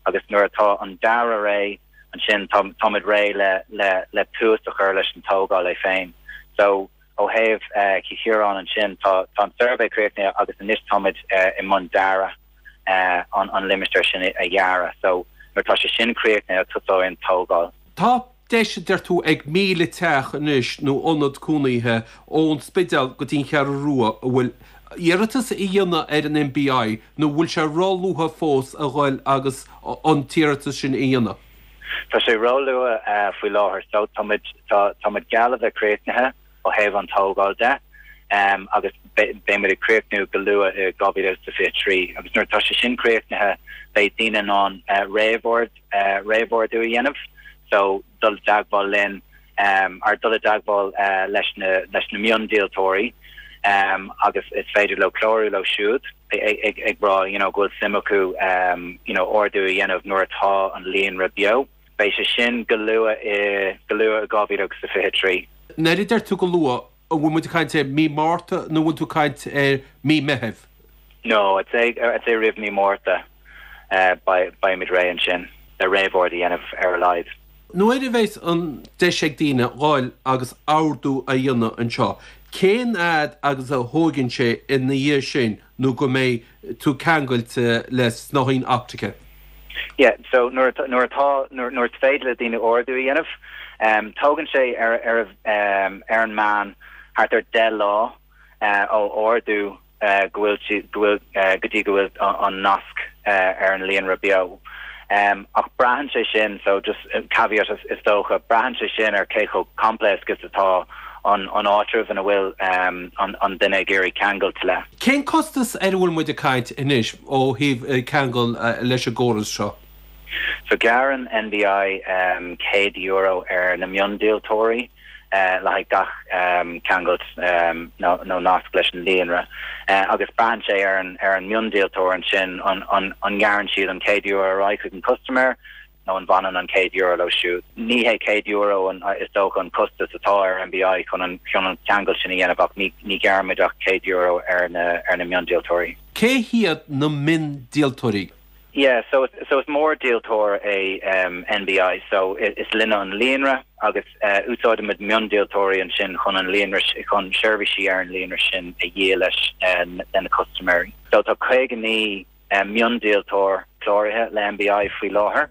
Agus nuair atá an dearadh réidh, ansin tá, táimid réidh le, le, le tús a chur leis an tógáil é féin. So, ó thaobh Chill Chiaráin ansin, tá, tá an suirbhé críochnaithe agus anois táimid i mbun dearadh an, an limistéar sin a dhearadh. So, nuair atá sé sin críochnaithe, tosóidh an tógáil. Tá deis, a deir tú, ag míle teach anois nó ionad cónaithe ón Spidéal go dtí an Cheathrú Rua a bhfuil iarratas a dhéanamh ar an NBI nó bhfuil sé ró-luath fós a ghoil agus an t-iarratas sin a dhéanamh? Tá sé ró-luath faoi láthair so tá muid, tá, tá muid geall le bheith críochnaithe ó thaobh an tógáil de agus beidh muid ag críochnú go luath i dhá mhíle is a fiche trí agus nuair atá sé sin críochnaithe beidh daoine in ann réamhord, réamhordú a dhéanamh so dul i dteagmháil linn or dul i dteagmháil leis na leis na miondíoltóirí agus is féidir leo clárú leo siúd ag ag rá you know go bhfuil suim acu you know ordú a dhéanamh nuair atá an líonra beo. Beidh sé sin go luath i go luath i dhá mhíle agus a fiche trí. Nuair a deir tú go luath, an bhfuil muid ag caint ar mí Márta nó an bhfuil tú ag caint ar mí Meithimh? No, I'd say I'd say roimh mí Márta beimid réidh ansin le réamhord a dhéanamh ar a laghad. Nuair a bheas an deis ag daoine dhul agus ordú a dhéanamh anseo, cén fhad agus a thóigeann sé ina dhiaidh sin nó go mbeidh tú ceangailte le snáithín optaice? Yeah, so nuair nuair atá nuair nuair is féidir le daoine ordú a dhéanamh, tógann sé ar ar ar an meán thart ar deich lá ó ordú go bhfuil sí, go bhfuil, go dtí go bhfuil an nasc ar an líonra beo. Ach braitheann sé sin, so just caveat is dócha, braitheann sé sin ar cé chomh coimpléasc is atá an an áitreabh ina bhfuil an duine ag iarraidh ceangailt le. Cén costas ar a bhfuil muid ag caint anois ó thaobh ceangal leis an gcóras seo? So gearrann NBI céad euro ar na miondíoltóirí le haghaidh gach ceangailt nó nasc leis an líonra agus braitheann sé ar an ar an miondíoltóir ansin an an an ngearrann siad an céad euro ar aghaidh chuig an custaiméir nó an bhfanann an céad euro leo siúd. Ní hé céad euro an is dócha an costas atá ar NBI chun an chun an ceangal sin a dhéanamh ach ní ní ghearraimid ach céad euro ar na ar na miondíoltóirí. Cé hiad na miondíoltóirí? Yeah, so so is mórdhíoltóir é um, NBI, so is linne an líonra agus uh, úsáidimid miondíoltóirí ansin chun an líonra chun seirbhísí ar an líonra sin a dhíol leis uh, na custaiméirí. So tá caoga naoi uh, miondíoltóir cláraithe le NBI faoi láthair.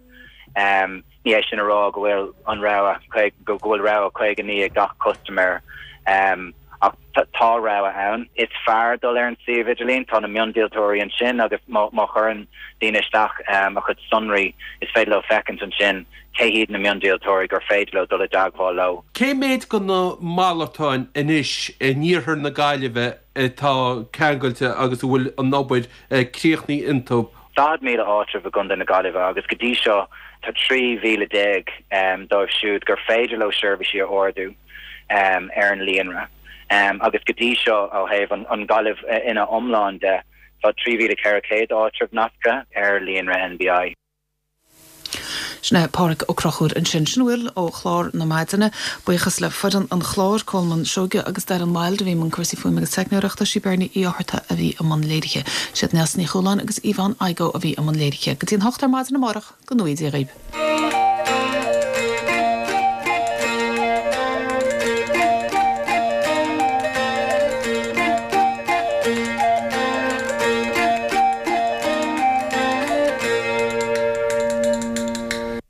Um, ní é sin a rá go bhfuil an rogha go bhfuil rogha caoga naoi ag gach custaiméir. Um, ach tá rogha ann. Is fearr dul ar an suíomh idirlín tá na miondíoltóirí ansin agus má chuireann daoine isteach um, a chuid sonraí is féidir leo féachaint ansin cé hiad na miondíoltóirí gur féidir leo dul i dteagmháil leo. Cé méid de na malartáin anois in iarthar na Gaillimhe atá ceangailte agus a bhfuil an obair eh, críochnaithe iontu? Daichead míle áitreabh i gContae na Gaillimhe agus go dtí seo tá trí mhíle déag um, dóibh siúd gur féidir leo seirbhísí a ordú um, ar an líonra. Um, agus go dtí seo ó thaobh an, an Ghaillimh eh, ina iomlán de tá trí mhíle ceithre chéad áitreabh nasctha ar líonra NBI. Sin é Pádraig Ó Conchúir ansin sin a bhfuil ó chlár na maidine, buíochas le foireann an chláir Colmán Seoige agus Darren Wilde a bhí i mbun cúrsaí fuaime agus teicneoireachta sí Bernie Uí Fhátharta a bhí i mbun léirithe. Siad Neasa Ní Chualáin agus Yvonne Igoe a bhí i mbun léirithe. Go dtí an hocht ar maidin amárach go ngnóthaí Dia dhaoibh.